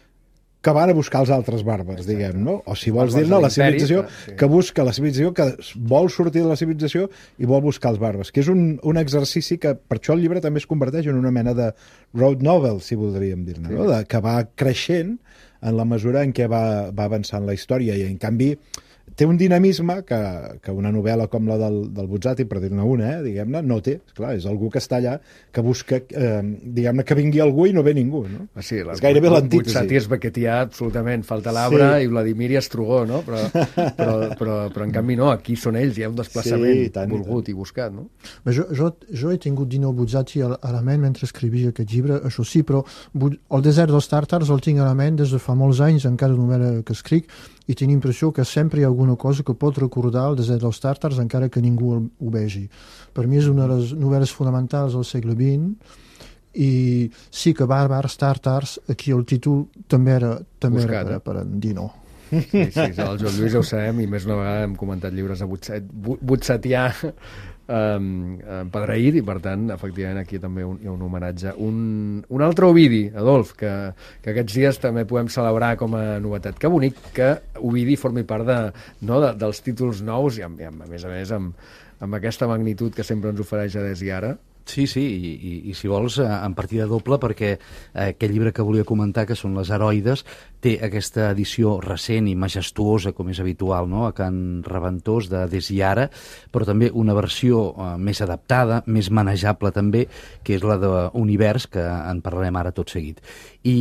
que van a buscar els altres bàrbars, diguem, no? O si vols dir-ne, la civilització sí. que busca, la civilització que vol sortir de la civilització i vol buscar els bàrbars, que és un, un exercici que, per això el llibre també es converteix en una mena de road novel, si voldríem dir-ne, sí. no? De, que va creixent en la mesura en què va, va avançant la història, i en canvi té un dinamisme que, que una novel·la com la del, del Buzzati, per dir-ne una, eh, diguem-ne, no té. Esclar, és algú que està allà, que busca, eh, diguem-ne, que vingui algú i no ve ningú, no? Ah, sí, la, és gairebé l'antítesi. Buzzati és bequetià, absolutament, falta l'arbre, sí. i Vladimir Estrugó, no? Però, però, però, però en canvi no, aquí són ells, hi ha un desplaçament sí, tant, volgut i, i buscat, no? Bé, jo, jo, jo he tingut Dino Buzzati a, a la ment mentre escrivia aquest llibre, això sí, però El desert dels tàrtars el tinc a la ment des de fa molts anys, en cada novel·la que escric, i tinc l'impressió que sempre hi ha alguna cosa que pot recordar el desert dels tàrtars encara que ningú ho vegi. Per mi és una de les novel·les fonamentals del segle vint, i sí que bàrbars, tàrtars, aquí el títol també era, també Buscat, era per, eh? per en Dino. Sí, sí, el Joan Lluís ho sabem, i més una vegada hem comentat llibres de Buzzat, Buzzatià um, empadreït, i per tant, efectivament, aquí també un, hi ha un homenatge. Un, un altre Ovidi, Adolf, que, que aquests dies també podem celebrar com a novetat. Que bonic que Ovidi formi part de, no, de, dels títols nous, i, amb, i amb, a més a més amb, amb aquesta magnitud que sempre ens ofereix a Des i Ara. Sí, sí, i, i, i si vols, en partida doble, perquè eh, aquest llibre que volia comentar, que són Les Heroides, té aquesta edició recent i majestuosa, com és habitual, no?, a Can Reventós, de Des i Ara, però també una versió eh, més adaptada, més manejable també, que és la d'Univers, que en parlarem ara tot seguit. I,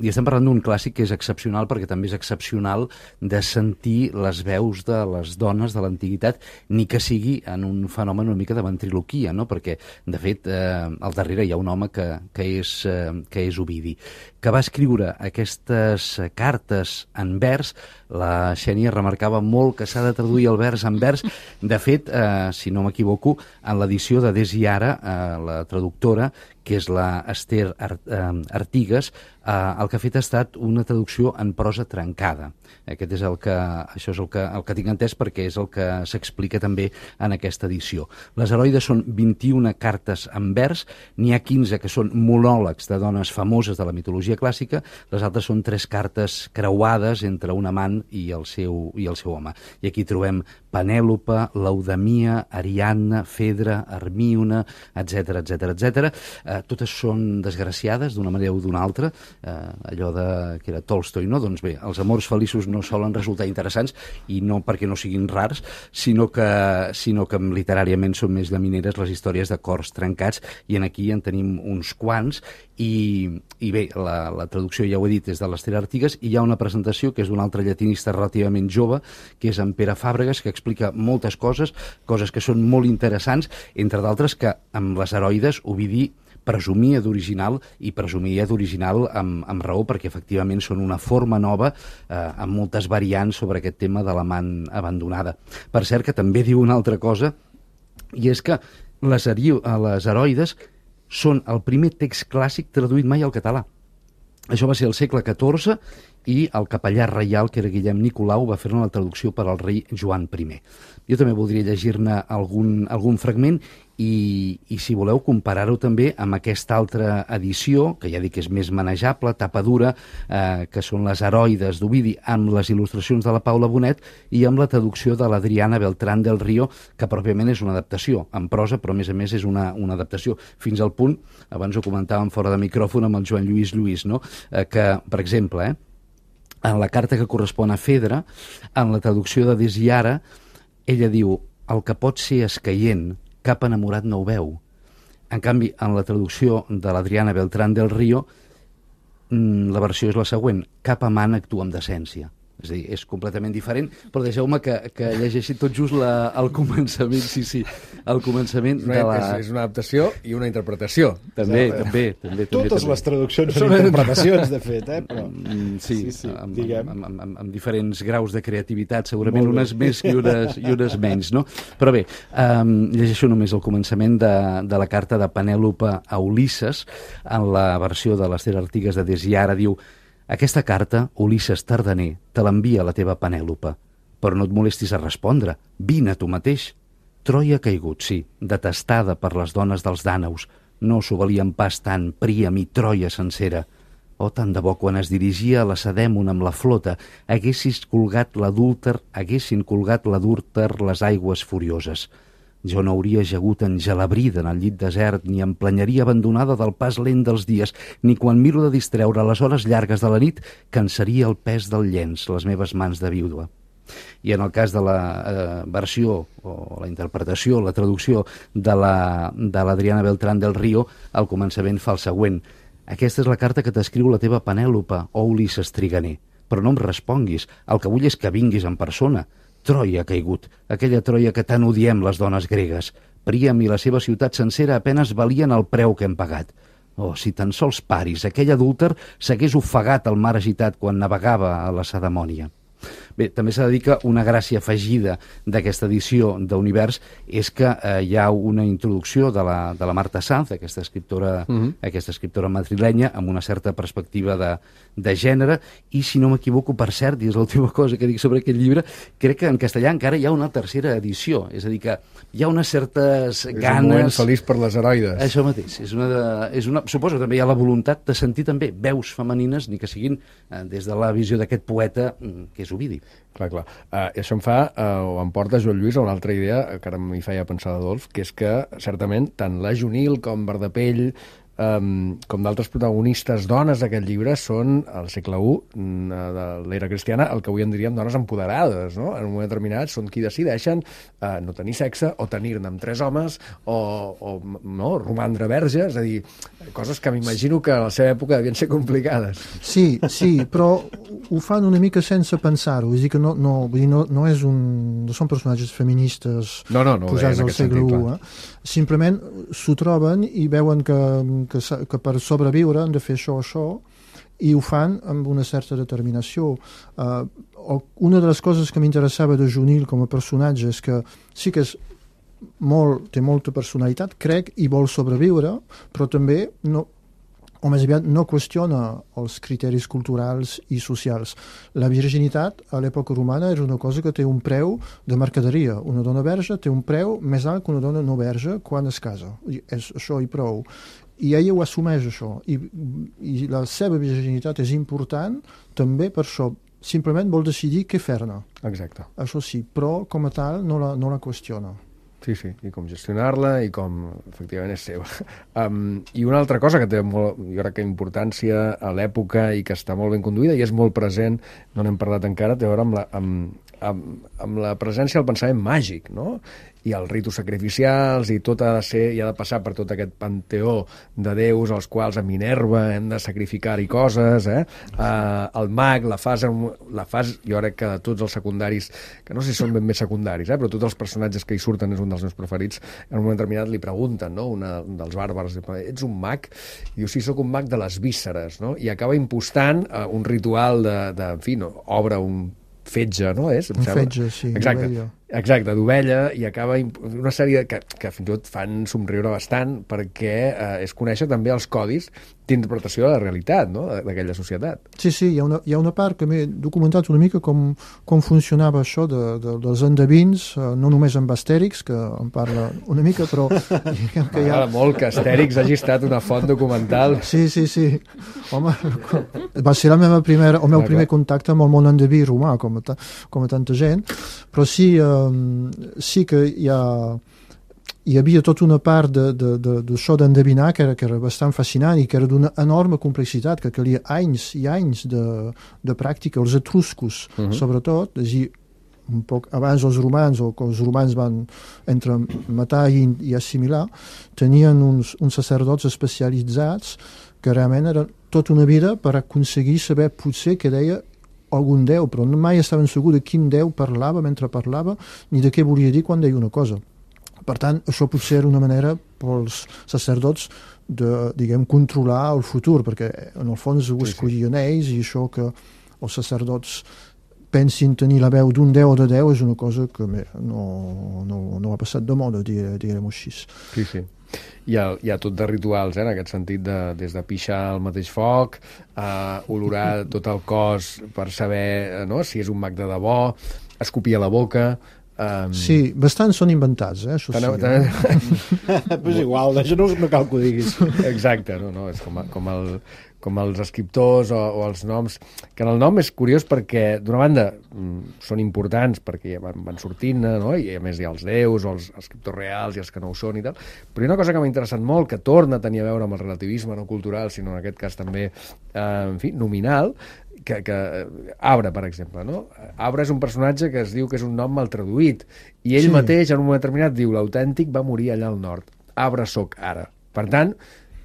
i estem parlant d'un clàssic que és excepcional, perquè també és excepcional de sentir les veus de les dones de l'antiguitat, ni que sigui en un fenomen una mica de ventriloquia, no?, perquè, de fet, eh, al darrere hi ha un home que, que, és, eh, que és Ovidi, que va escriure aquestes cartes en vers. La Xènia remarcava molt que s'ha de traduir el vers en vers. De fet, eh, si no m'equivoco, en l'edició de Des i Ara, eh, la traductora, que és la Esther Artigas, eh, el que ha fet ha estat una traducció en prosa trencada. Aquest és el que, això és el que, el que tinc entès, perquè és el que s'explica també en aquesta edició. Les Heroides són vint-i-una cartes en vers, n'hi ha quinze que són monòlegs de dones famoses de la mitologia clàssica, les altres són tres cartes creuades entre un amant i el seu, i el seu home. I aquí trobem Penèlope, Laudamia, Ariadna, Fedra, Hermíone, etcètera, etcètera, etcètera. Eh, totes són desgraciades d'una manera o d'una altra, eh, allò de, que era Tolstoi, no? Doncs bé, els amors feliços no solen resultar interessants, i no perquè no siguin rars, sinó que, sinó que literàriament són més llamineres les històries de cors trencats, i en aquí en tenim uns quants, i, i bé, la, la traducció, ja ho he dit, és de l'Esther Artigas, i hi ha una presentació que és d'un altre llatinista relativament jove, que és en Pere Fàbregas, que explica moltes coses, coses que són molt interessants, entre d'altres que amb Les Heroides Ovidi presumia d'original, i presumia d'original amb, amb raó, perquè efectivament són una forma nova, eh, amb moltes variants sobre aquest tema de l'amant abandonada. Per cert, que també diu una altra cosa, i és que les, les Heroides són el primer text clàssic traduït mai al català. Això va ser al segle catorze, i el capellà reial, que era Guillem Nicolau, va fer-ne la traducció per al rei Joan primer. Jo també voldria llegir-ne algun, algun fragment i, i si voleu comparar-ho també amb aquesta altra edició, que ja dic que és més manejable, tapa dura, eh, que són les Heroides d'Ovidi, amb les il·lustracions de la Paula Bonet i amb la traducció de l'Adriana Beltrán del Río, que pròpiament és una adaptació en prosa, però a més a més és una, una adaptació, fins al punt, abans ho comentàvem fora de micròfon amb el Joan Lluís Lluís, no? eh, que, per exemple, eh, en la carta que correspon a Fedra, en la traducció de Desiara, ella diu, el que pot ser escaient, cap enamorat no ho veu. En canvi, en la traducció de l'Adriana Beltrán del Río, la versió és la següent, cap amant actua amb decència. És a dir, és completament diferent, però deixeu-me que, que llegeixi tot just la, el començament, sí, sí, el començament de la... És, és una adaptació i una interpretació. També, sí, també, també. Totes també, les traduccions són interpretacions, de fet, eh? Però... Sí, sí, sí, amb, diguem. amb, amb, amb, amb diferents graus de creativitat, segurament unes més i unes, i unes menys, no? Però bé, um, llegeixo només el començament de, de la carta de Penèlope a Ulisses, en la versió de l'Ester Artigas de Desiara, diu: aquesta carta, Ulisses Tardaner, te l'envia la teva Penèlope, però no et molestis a respondre, vine tu mateix. Troia ha caigut, sí, detestada per les dones dels dànaus, no s'ho valien pas tant Príam i Troia sencera. Oh, tant de bo quan es dirigia a Lacedèmon amb la flota, haguessis colgat l'adúlter, haguessin colgat l'adúlter les aigües furioses. Jo no hauria jagut engelabrida en el llit desert, ni em planyaria abandonada del pas lent dels dies, ni quan miro de distreure a les hores llargues de la nit, cansaria el pes del llenç, les meves mans de vídua. I en el cas de la eh, versió, o la interpretació, la traducció de l'Adriana la, Beltrán del Río, al començament fa el següent. Aquesta és la carta que t'escriu la teva Penèlope, o Ulisses Triganer. Però no em responguis, el que vull és que vinguis en persona. Troia ha caigut, aquella Troia que tant odiem les dones gregues. Príam i la seva ciutat sencera apenes valien el preu que hem pagat. Oh, si tan sols paris, aquell adúlter s'hagués ofegat al mar agitat quan navegava a la Lacedemònia. Bé, també s'ha de dir que una gràcia afegida d'aquesta edició d'Univers és que eh, hi ha una introducció de la, de la Marta Sanz, aquesta escriptora, uh-huh. aquesta escriptora madrilenya, amb una certa perspectiva de, de gènere, i si no m'equivoco, per cert, i és l'última cosa que dic sobre aquest llibre, crec que en castellà encara hi ha una tercera edició, és a dir, que hi ha unes certes és ganes... És un moment feliç per les heroides. Això mateix, és una, de, és una... suposo que també hi ha la voluntat de sentir també veus femenines, ni que siguin eh, des de la visió d'aquest poeta, que és Ovidi. Clar, clar. Uh, I això em fa, uh, o em porta Joan Lluís a una altra idea que ara m'hi feia pensar Adolf, que és que, certament, tant la Junil com Verdapell, um, com d'altres protagonistes dones d'aquest llibre, són, al segle u de l'era cristiana, el que avui en diríem dones empoderades, no? En un moment determinat són qui decideixen uh, no tenir sexe, o tenir-ne amb tres homes, o, o no, romandre verge, és a dir, coses que m'imagino que a la seva època devien ser complicades. Sí, sí, però ho fan una mica sense pensar-ho, és a dir que no, no, vull dir, no, no, és un, no són personatges feministes no, no, no, posats al segle u. Eh? Simplement s'ho troben i veuen que, que, que per sobreviure han de fer això o això, i ho fan amb una certa determinació. Uh, una de les coses que m'interessava de Junil com a personatge és que sí que és molt, té molta personalitat, crec, i vol sobreviure, però també no, o més aviat no qüestiona els criteris culturals i socials. La virginitat a l'època romana era una cosa que té un preu de mercaderia. Una dona verge té un preu més alt que una dona no verge quan es casa. I és això i prou. I ella ho assumeix, això. I, i la seva virginitat és important també per això. Simplement vol decidir què fer-ne. Exacte. Això sí, però com a tal no la, no la qüestiona. Sí, sí, i com gestionar-la i com, efectivament, és seva. Um, I una altra cosa que té molt, jo crec que importància a l'època i que està molt ben conduïda i és molt present, no n'hem parlat encara, té a veure amb la, amb, amb, amb la presència del pensament màgic, no? I els ritus sacrificials i tot ha de ser, i ha de passar per tot aquest panteó de déus als quals a Minerva hem de sacrificar-hi coses, eh? Uh, el mag, la fase, la fase, jo crec que de tots els secundaris, que no sé si són ben bé secundaris, eh? Però tots els personatges que hi surten és un dels meus preferits, en un moment determinat li pregunten, no? Una, un dels bàrbars, ets un mag? I diu, sí, sóc un mag de les vísceres, no? I acaba impostant uh, un ritual de, de, en fi, no? Obre un fetge, no és? Un fetge, sí. Exacte. Exacte, d'ovella, i acaba una sèrie que, que fins i tot fan somriure bastant perquè eh, és conèixer també els codis d'interpretació de la realitat, no?, d'aquella societat. Sí, sí, hi ha una, hi ha una part que m'he documentat una mica com, com funcionava això de, de, dels endevins, eh, no només amb Astèrix, que en parla una mica, però diguem que hi ha... M'agrada molt que Astèrix hagi estat una font documental. Sí, sí, sí. Home, va ser la meva primera, el meu Ah, primer clar. contacte amb el món endeví romà, com a, ta, com a tanta gent, però sí, eh, sí que hi ha... hi havia tota una part de, de, de, d'això d'endevinar que era, que era bastant fascinant i que era d'una enorme complexitat, que calia anys i anys de, de pràctica. Els etruscos, uh-huh. sobretot, és a dir, un poc abans els romans, o que els romans van entre matar i, i assimilar, tenien uns, uns sacerdots especialitzats que realment era tota una vida per aconseguir saber potser què deia algun déu, però mai estaven segurs de quin déu parlava mentre parlava, ni de què volia dir quan deia una cosa. Per tant, això potser era una manera pels sacerdots de, diguem, controlar el futur, perquè en el fons ho escollien ells, i això que els sacerdots pensin tenir la veu d'un déu o de déu és una cosa que bé, no, no, no ha passat de moda, diguem-ho així. Sí, sí. Hi ha, hi ha tot de rituals, eh, en aquest sentit, de, des de pixar al mateix foc, a olorar tot el cos per saber, no?, si és un mag de debò, escopir a la boca... Um... Sí, bastants són inventats, eh, això sí. Doncs pues igual, això no, no cal que ho diguis. Exacte, no, no, és com, a, com, el, com els escriptors o, o els noms, que en el nom és curiós perquè, d'una banda, són importants perquè van, van sortint, no?, i a més hi ha els déus o els escriptors reals i els que no ho són i tal, però hi ha una cosa que m'ha interessat molt, que torna a tenir a veure amb el relativisme no cultural, sinó en aquest cas també, eh, en fi, nominal, que, que Abra, per exemple, no? Abra és un personatge que es diu que és un nom mal traduït, i ell Sí. mateix, en un moment determinat, diu l'autèntic va morir allà al nord. Abra soc ara. Per tant,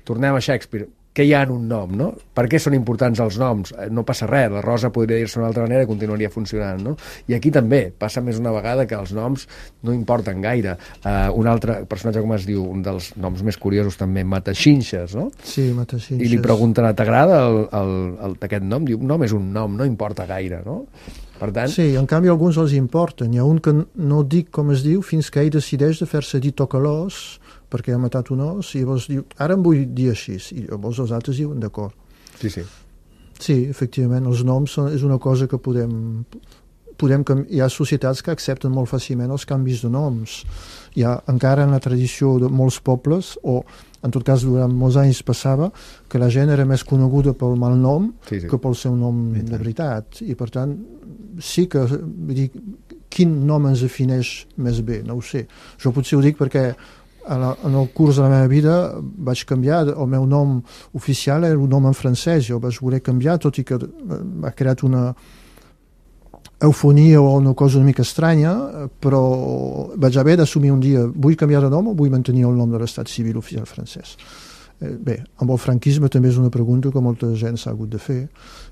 tornem a Shakespeare. Què hi ha en un nom, no? Per què són importants els noms? No passa res, la Rosa podria dir-se d'una altra manera i continuaria funcionant, no? I aquí també passa més una vegada que els noms no importen gaire. Uh, un altre personatge, com es diu, un dels noms més curiosos també, Mataxinxes, no? Sí, Mataxinxes. I li pregunten, t'agrada el, el, el, aquest nom? Diu, un nom és un nom, no importa gaire, no? Per tant... Sí, en canvi alguns els importen. Hi ha un que no dic com es diu fins que ell decideix de fer-se dir tocalós perquè ha matat un os, i llavors diu, ara em vull dir així, i llavors els altres diuen d'acord. Sí, sí. Sí, efectivament, els noms són, és una cosa que podem... podem hi ha societats que accepten molt fàcilment els canvis de noms. Hi ha encara en la tradició de molts pobles, o en tot cas durant molts anys passava, que la gent era més coneguda pel malnom Sí, sí. que pel seu nom de veritat. I per tant, sí que... Vull dir, quin nom ens defineix més bé? No ho sé. Jo potser ho dic perquè en el curs de la meva vida vaig canviar, el meu nom oficial era un nom en francès, jo vaig voler canviar, tot i que m'ha creat una eufonia o una cosa una mica estranya, però vaig haver d'assumir un dia, vull canviar de nom o vull mantenir el nom de l'estat civil oficial francès? Bé, amb el franquisme també és una pregunta que molta gent s'ha hagut de fer,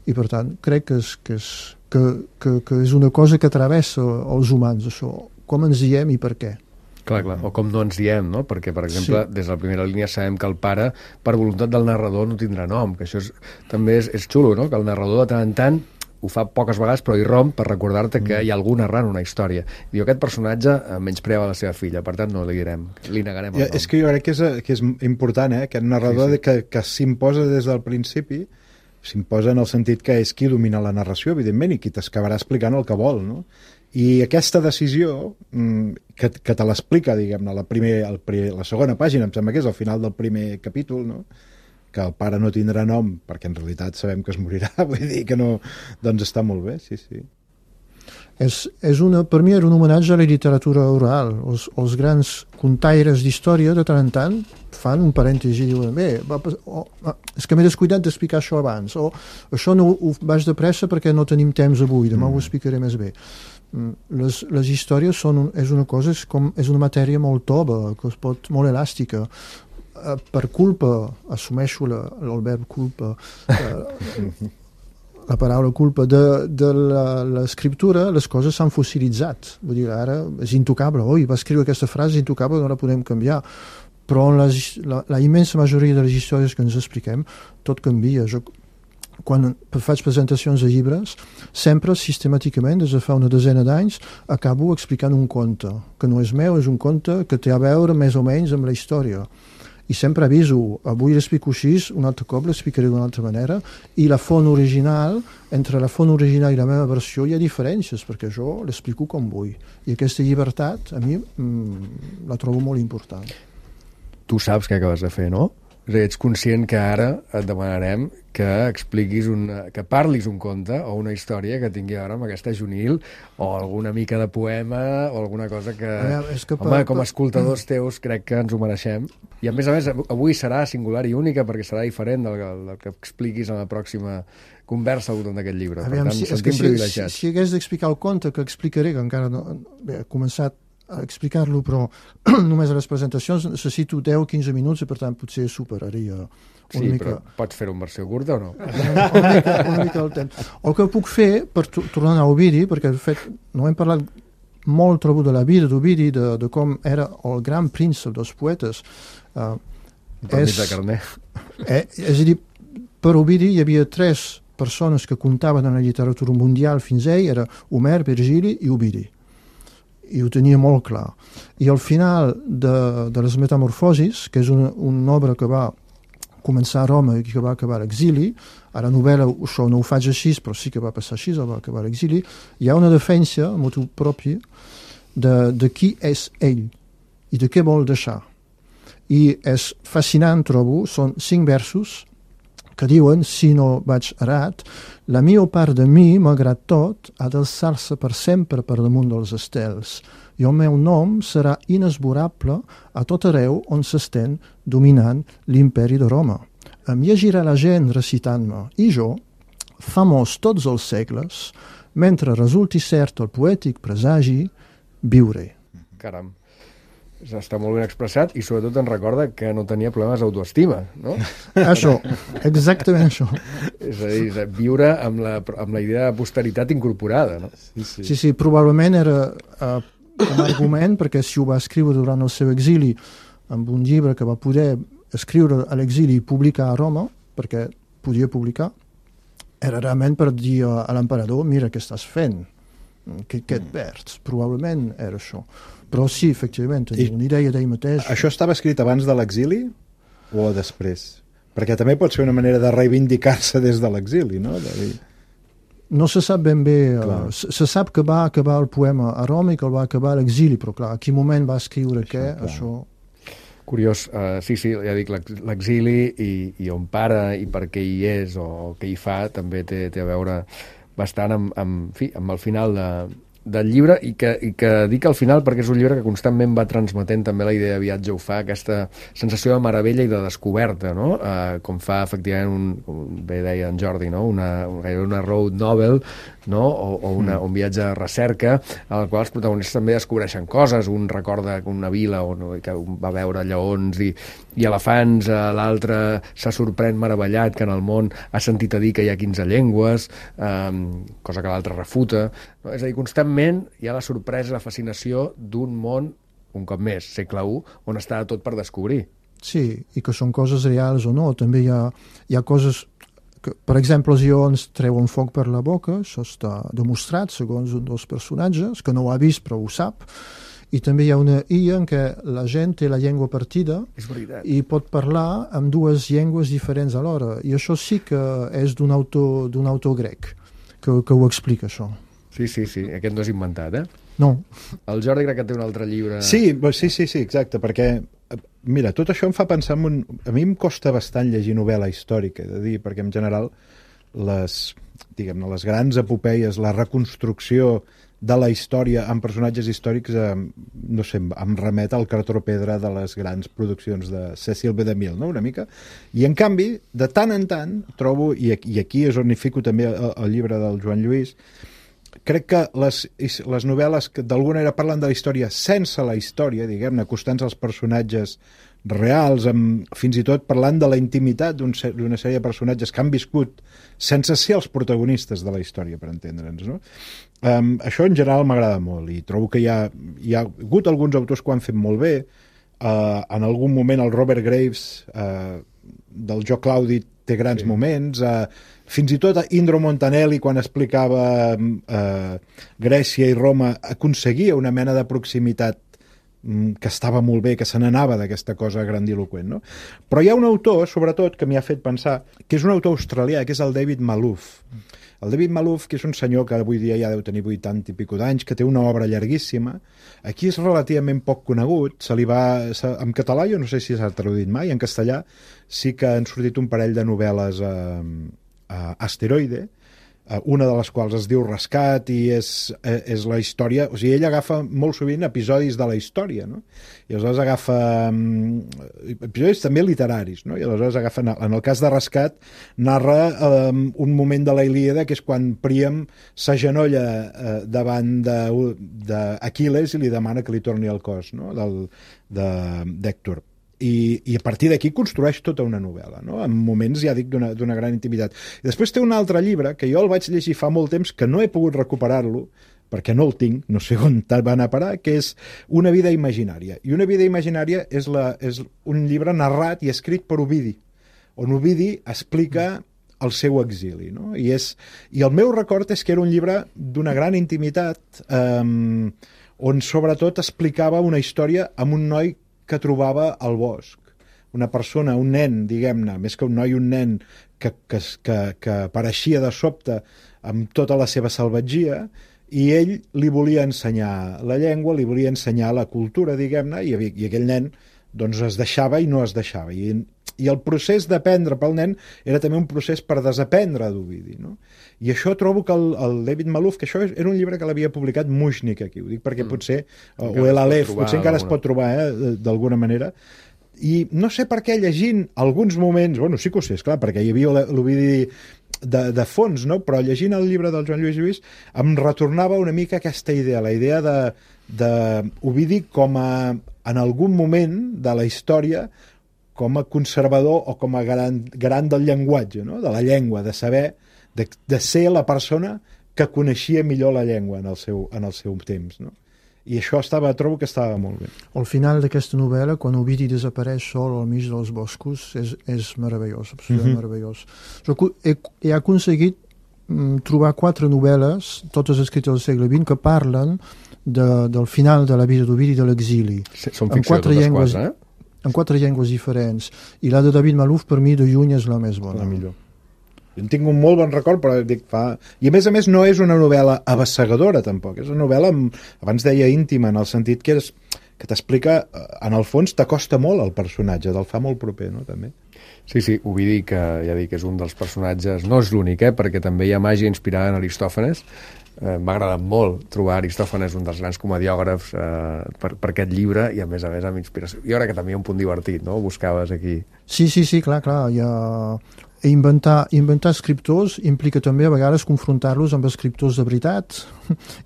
i per tant crec que és, que és, que, que, que és una cosa que travessa els humans, això, com ens diem i per què. Clar, clar, o com no ens diem, no? Perquè, per exemple, Sí. des de la primera línia sabem que el pare, per voluntat del narrador, no tindrà nom, que això és, també és, és xulo, no? Que el narrador de tant en tant ho fa poques vegades, però hi romp per recordar-te que hi ha algú narrant una història. Diu, aquest personatge menyspreava la seva filla, per tant no li direm, li negarem el Ja, nom. és que jo crec que és, que és important, eh? Aquest narrador Sí, sí. que, que s'imposa des del principi, s'imposa en el sentit que és qui domina la narració, evidentment, i qui t'acabarà explicant el que vol, no? I aquesta decisió, que, que te l'explica, diguem-ne, la, primer, el, la segona pàgina, em sembla que és al final del primer capítol, no? Que el pare no tindrà nom, perquè en realitat sabem que es morirà, vull dir que no... Doncs està molt bé, sí, sí. És, és una, per mi era un homenatge a la literatura oral. Els, els grans contaires d'història, de tant en tant, fan un parèntesi i diuen, bé, va, oh, és que m'he descuidat d'explicar això abans, o això no ho vaig de pressa perquè no tenim temps avui, demà mm. ho explicaré més bé. Les, les històries són un, és una cosa, és, com, és una matèria molt tova, que es pot, molt elàstica. Per culpa, assumeixo la, el verb culpa, eh, la paraula culpa de, de l'escriptura, les coses s'han fossilitzat. Vull dir, ara és intocable. Oi, va escriure aquesta frase intocable, no la podem canviar. Però en les, la, la immensa majoria de les històries que ens expliquem, tot canvia. Jo, quan faig presentacions de llibres, sempre, sistemàticament, des de fa una desena d'anys, acabo explicant un conte, que no és meu, és un conte que té a veure més o menys amb la història. I sempre aviso, avui l'explico així, un altre cop l'explicaré d'una altra manera, i la font original, entre la font original i la meva versió hi ha diferències, perquè jo l'explico com vull. I aquesta llibertat, a mi, mmm, la trobo molt important. Tu saps què acabes de fer, no? És a dir, ets conscient que ara et demanarem que expliquis una, que parlis un conte o una història que tingui a veure amb aquesta Junil o alguna mica de poema o alguna cosa que, veure, és que home, per, com a escoltadors teus crec que ens ho mereixem. I a més a més, avui serà singular i única perquè serà diferent del, del que expliquis en la pròxima conversa al voltant d'aquest llibre. Per veure, tant, si, sentim si, privilegiats. Si, si hagués d'explicar el conte que explicaré, que encara no bé, he començat a explicar-lo, però només a les presentacions necessito deu o quinze minuts i per tant potser superaria una sí, mica... però pots fer-ho en versió curta o no? una, mica, una mica el temps. El que puc fer, per tornar a Ovidi, perquè de fet no hem parlat molt trobo de la vida d'Ovidi, de, de com era el gran príncep dels poetes. Uh, és, de carner. Eh, és a dir, per Ovidi hi havia tres persones que comptaven en la literatura mundial fins a ell, era Homer, Virgili i Ovidi. I ho tenia molt clar. I al final de, de les Metamorfosis, que és una, una obra que va començar a Roma i que va acabar a l'exili, a la novel·la això no ho faig així, però sí que va passar així, va acabar a l'exili, hi ha una defensa, a motu propi, de, de qui és ell i de què vol deixar. I és fascinant, trobo, són cinc versos que diuen, si no vaig errat, la millor part de mi, malgrat tot, ha d'alçar-se per sempre per damunt dels estels, i el meu nom serà inesborrable a tot arreu on s'estén dominant l'imperi de Roma. Em llegirà la gent recitant-me, i jo, famós tots els segles, mentre resulti cert el poètic presagi, viuré. Caram. Està molt ben expressat i sobretot ens recorda que no tenia problemes d'autoestima, no? Això, exactament això. És a dir, viure amb la, amb la idea de posteritat incorporada, no? Sí, sí, sí, sí probablement era uh, un argument, perquè si ho va escriure durant el seu exili amb un llibre que va poder escriure a l'exili i publicar a Roma, perquè podia publicar, era realment per dir a l'emperador, mira què estàs fent, què, què et perds, probablement era això. Però sí, efectivament, tenia una idea d'ell mateix. Això estava escrit abans de l'exili o després? Perquè també pot ser una manera de reivindicar-se des de l'exili, no? De dir... No se sap ben bé. Uh, se, se sap que va acabar el poema a Roma i que el va acabar a l'exili, però clar, a quin moment va escriure això, què, clar. Això... Curiós, uh, sí, sí, ja dic, l'exili i, i on para i per què hi és o què hi fa també té, té a veure bastant amb, amb, fi, amb el final de, del llibre i que, i que dic al final perquè és un llibre que constantment va transmetent també la idea de viatge, ho fa aquesta sensació de meravella i de descoberta, no? Uh, com fa efectivament un, com bé deia en Jordi, no? una, una road novel, no? o, o una, un viatge de recerca en el qual els protagonistes també descobreixen coses, un recorda una vila on, que va veure lleons i, i elefants, uh, l'altre se sorprèn meravellat que en el món ha sentit a dir que hi ha quinze llengües, um, cosa que l'altre refuta, no? És a dir, constantment hi ha la sorpresa, la fascinació d'un món, un cop més, segle u, on està tot per descobrir. Sí, i que són coses reals o no. També hi ha, hi ha coses que, per exemple, els lleons treuen foc per la boca, això està demostrat segons un dels personatges, que no ho ha vist però ho sap, i també hi ha una illa en què la gent té la llengua partida i pot parlar amb dues llengües diferents alhora, i això sí que és d'un autor, d'un autor grec que, que ho explica, això. Sí, sí, sí, aquest no és inventat, eh? No. El Jordi crec que té un altre llibre... Sí, sí, sí, sí, exacte, perquè, mira, tot això em fa pensar en un... A mi em costa bastant llegir novel·la històrica, he de dir, perquè en general les, diguem-ne, les grans epopeies, la reconstrucció de la història amb personatges històrics, eh, no sé, em remet al cartró pedra de les grans produccions de Cecil B. DeMille, no?, una mica. I, en canvi, de tant en tant, trobo, i, i aquí és on hi fico també el, el llibre del Joan Lluís, crec que les, les novel·les que d'alguna manera parlen de la història sense la història, diguem-ne, acostant-se als personatges reals, amb, fins i tot parlant de la intimitat d'una un, sèrie de personatges que han viscut sense ser els protagonistes de la història, per entendre'ns, no? Um, això en general m'agrada molt i trobo que hi ha, hi ha hagut alguns autors que ho han fet molt bé. Uh, en algun moment el Robert Graves uh, del Jo Claudi té grans Sí. moments, eh, fins i tot Indro Montanelli, quan explicava eh, Grècia i Roma, aconseguia una mena de proximitat que estava molt bé, que se n'anava d'aquesta cosa grandiloquent, no? Però hi ha un autor, sobretot, que m'hi ha fet pensar, que és un autor australià, que és el David Malouf. El David Malouf, que és un senyor que avui dia ja deu tenir vuitanta i pico d'anys, que té una obra llarguíssima. Aquí és relativament poc conegut, se li va... Se, en català jo no sé si s'ha traduït mai, en castellà sí que han sortit un parell de novel·les a, a Asteroide, una de les quals es diu Rescat i és, és la història, o sigui, ell agafa molt sovint episodis de la història, no? I aleshores agafa um, episodis també literaris, no? I aleshores agafa, en el cas de Rescat, narra um, un moment de la Ilíada, que és quan Príam s'agenolla uh, davant d'Aquil·les i li demana que li torni el cos, no? Del, de, d'Hèctor. I, i a partir d'aquí construeix tota una novel·la, no? En moments, ja dic, d'una gran intimitat. I després té un altre llibre que jo el vaig llegir fa molt temps, que no he pogut recuperar-lo perquè no el tinc, no sé on va anar a parar, que és Una vida imaginària. I Una vida imaginària és, la, és un llibre narrat i escrit per Ovidi, on Ovidi explica el seu exili, no? I, és, i el meu record és que era un llibre d'una gran intimitat, eh, on sobretot explicava una història amb un noi que trobava al bosc. Una persona, un nen, diguem-ne, més que un noi, un nen que, que, que, que apareixia de sobte amb tota la seva salvatgia, i ell li volia ensenyar la llengua, li volia ensenyar la cultura, diguem-ne, i, i aquell nen doncs es deixava i no es deixava. I, i el procés d'aprendre pel nen era també un procés per desaprendre d'Ovidi, no? I això trobo que el, el David Malouf, que això era un llibre que l'havia publicat Mushnik aquí, ho dic perquè mm. potser, o, o el Aleph, potser encara es pot trobar, eh, d'alguna manera, i no sé per què llegint alguns moments, bueno, sí que ho sé, esclar, perquè hi havia l'Ovidi de, de fons, no? Però llegint el llibre del Joan Lluís Lluís em retornava una mica aquesta idea, la idea de, de Ovidi com a, en algun moment de la història, com a conservador o com a garant, garant del llenguatge, no? De la llengua, de saber, de, de ser la persona que coneixia millor la llengua en el seu, en el seu temps, no? I això estava, trobo que estava molt bé. Al final d'aquesta novel·la, quan Ovidi desapareix sol al mig dels boscos, és, és meravellós, absolutament mm-hmm. meravellós. Jo he, he aconseguit mm, trobar quatre novel·les, totes escrites al segle vint, que parlen de, del final de la vida d'Ovidi i de l'exili. Sí, són ficció totes llengües, quatre, eh? En quatre llengües diferents. I la de David Malouf, per mi, de lluny és la més bona. La millor. Jo en tinc un molt bon record, però dic, fa... I a més a més no és una novel·la abassegadora, tampoc. És una novel·la, amb, abans deia íntima, en el sentit que, és, que t'explica, en el fons, t'acosta molt al personatge, te'l fa molt proper, no?, també. Sí, sí, Ovidi, que ja dic, és un dels personatges, no és l'únic, eh, perquè també hi ha màgia inspirada en Aristòfanes. Eh, m'ha agradat molt trobar Aristòfanes, un dels grans comediògrafs, eh, per, per aquest llibre, i a més a més amb inspiració. Jo crec que també hi ha un punt divertit, no?, buscaves aquí. Sí, sí, sí, clar, clar, hi ha... Inventar, inventar escriptors implica també a vegades confrontar-los amb escriptors de veritat,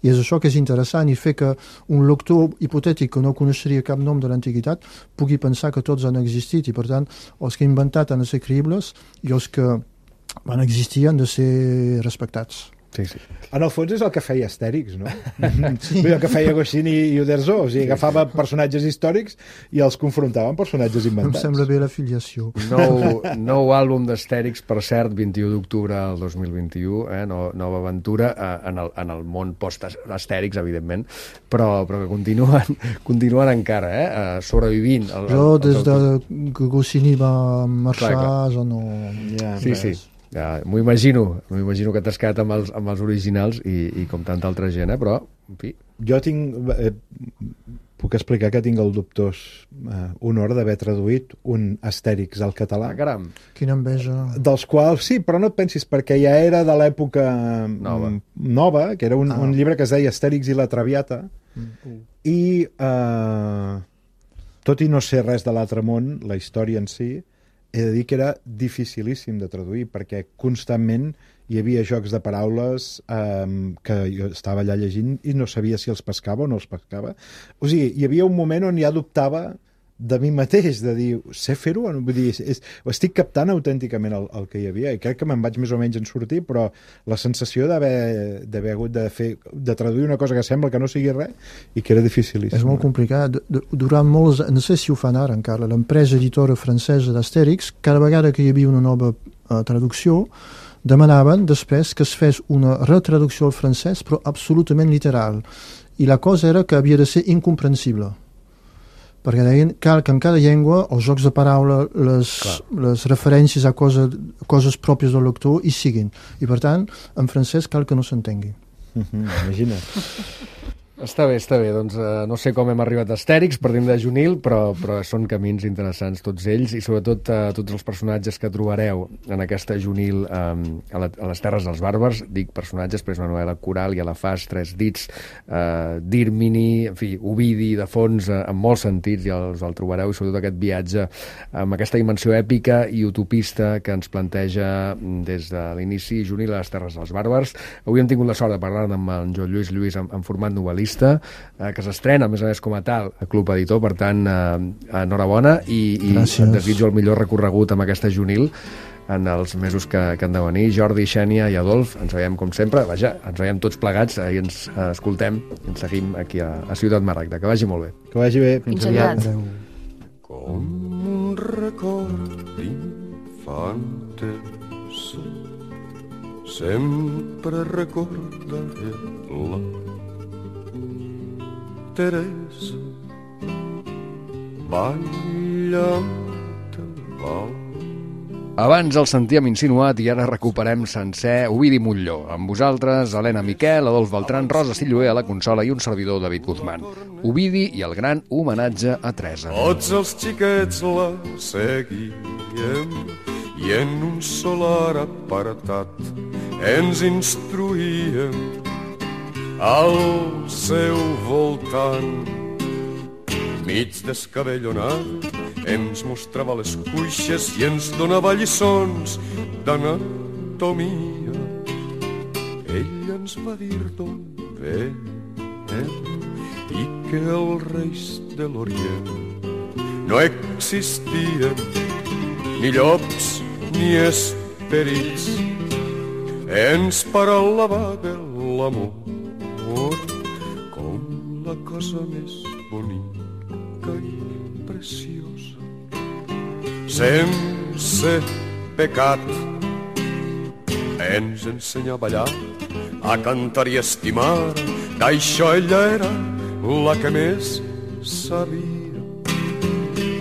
i és això que és interessant, i fer que un lector hipotètic que no coneixeria cap nom de l'antiguitat pugui pensar que tots han existit, i per tant els que he inventat han de ser creïbles i els que van existir han de ser respectats. Sí, sí. En el fons és el que feia Astèrix, no? Sí. El que feia Goscinny i Uderzo, o sigui, agafava personatges històrics i els confrontava amb personatges inventats. Em sembla bé l'afiliació. Nou, nou àlbum d'Astèrix, per cert, vint-i-u d'octubre del dos mil vint-i-u, eh? No, nova aventura eh, en, el, en el món post-Astèrix, evidentment, però, però que continuen, continuen encara, eh? eh sobrevivint. El, el, jo, des el, el, de que Goscinny va marxar, clar, clar. ja no... Ja, sí, res. sí. Ja, m'ho imagino, m'ho imagino que t'has quedat amb els, amb els originals i, i com tanta altra gent, eh? Però, en fi... Jo tinc... Eh, puc explicar que tinc el dubtós eh, honor d'haver traduït un Astèrix al català. Ah, caram! Quina enveja! Dels quals, sí, però no et pensis, perquè ja era de l'època nova. nova, que era un, ah. un llibre que es deia Astèrix i la Traviata, mm. i eh, tot i no ser res de l'altre món, la història en si, he de dir que era dificilíssim de traduir, perquè constantment hi havia jocs de paraules eh, que jo estava allà llegint i no sabia si els pescava o no els pescava. O sigui, hi havia un moment on ja dubtava de mi mateix, de dir, sé fer-ho? Vull dir, és, estic captant autènticament el, el que hi havia, i crec que me'n vaig més o menys en sortir, però la sensació d'haver d'haver hagut de fer, de traduir una cosa que sembla que no sigui res, i que era dificilíssim. És molt complicat. Durant molts, no sé si ho fan ara encara, l'empresa editora francesa d'Astèrix, cada vegada que hi havia una nova uh, traducció, demanaven després que es fes una retraducció al francès, però absolutament literal. I la cosa era que havia de ser incomprensible. Perquè deien cal que en cada llengua els jocs de paraula, les, les referències a cosa, coses pròpies del lector hi siguin. I per tant, en francès cal que no s'entengui. Mm-hmm, imagina't. Està bé, està bé. Doncs uh, no sé com hem arribat a Astèrix, partim de Junil, però, però són camins interessants tots ells, i sobretot uh, tots els personatges que trobareu en aquesta Junil um, a, la, a les Terres dels Bàrbars. Dic personatges, però és una novel·la coral, i a la fas, tres dits, uh, Dírmini, en fi, Ovidi, de fons, uh, en molts sentits, i els el trobareu, i sobretot aquest viatge amb aquesta dimensió èpica i utopista que ens planteja des de l'inici Junil a les Terres dels Bàrbars. Avui hem tingut la sort de parlar amb en Joan Lluís Lluís en, en format novel·lista, que s'estrena, a més a més, com a tal, a Club Editor, per tant, eh, enhorabona, i, i et desitjo el millor recorregut amb aquesta Junil en els mesos que, que han de venir. Jordi, Xènia i Adolf, ens veiem com sempre, vaja, ens veiem tots plegats i ens eh, escoltem i ens seguim aquí a, a Ciutat Maragda. Que vagi molt bé. Que vagi bé. Fins aviat. Com un record d'infantesa, sempre recordaré la Teresa, ballant el vals. Abans el sentíem insinuat i ara recuperem sencer Ovidi Montllor. Amb vosaltres, Helena Miquel, Adolf Beltran, Rosa Silloé a la consola i un servidor, David Guzmán. Ovidi i el gran homenatge a Teresa. Tots els xiquets la seguíem i en un solar apartat ens instruïem al seu voltant. Mig descabellonat ens mostrava les cuixes i ens donava lliçons d'anatomia. Ell ens va dir d'on venem i que els reis de l'Orient no existien ni llops ni esperits. Ens parlava de l'amor com la cosa més bonica i preciosa, sense pecat. Ens ensenya a ballar, a cantar i a estimar, d'això ella era la que més sabia.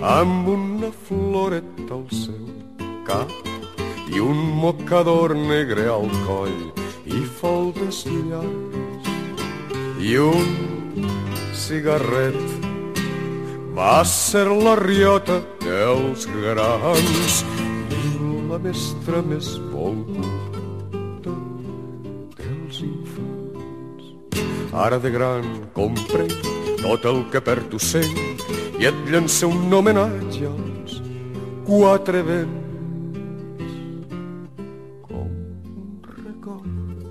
Amb una floreta al seu cap i un mocador negre al coll i faldes llargues i un cigarret, va ser la riota dels grans i la mestra més volguda dels infants. Ara de gran comprenc tot el que per tu sent i et llancé un homenatge als quatre vents. Com un record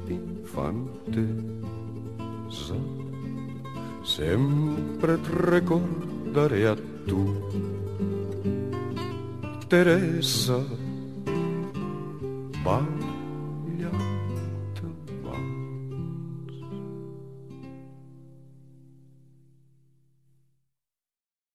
d'infantesa, sempre et recordaré a tu, Teresa. Va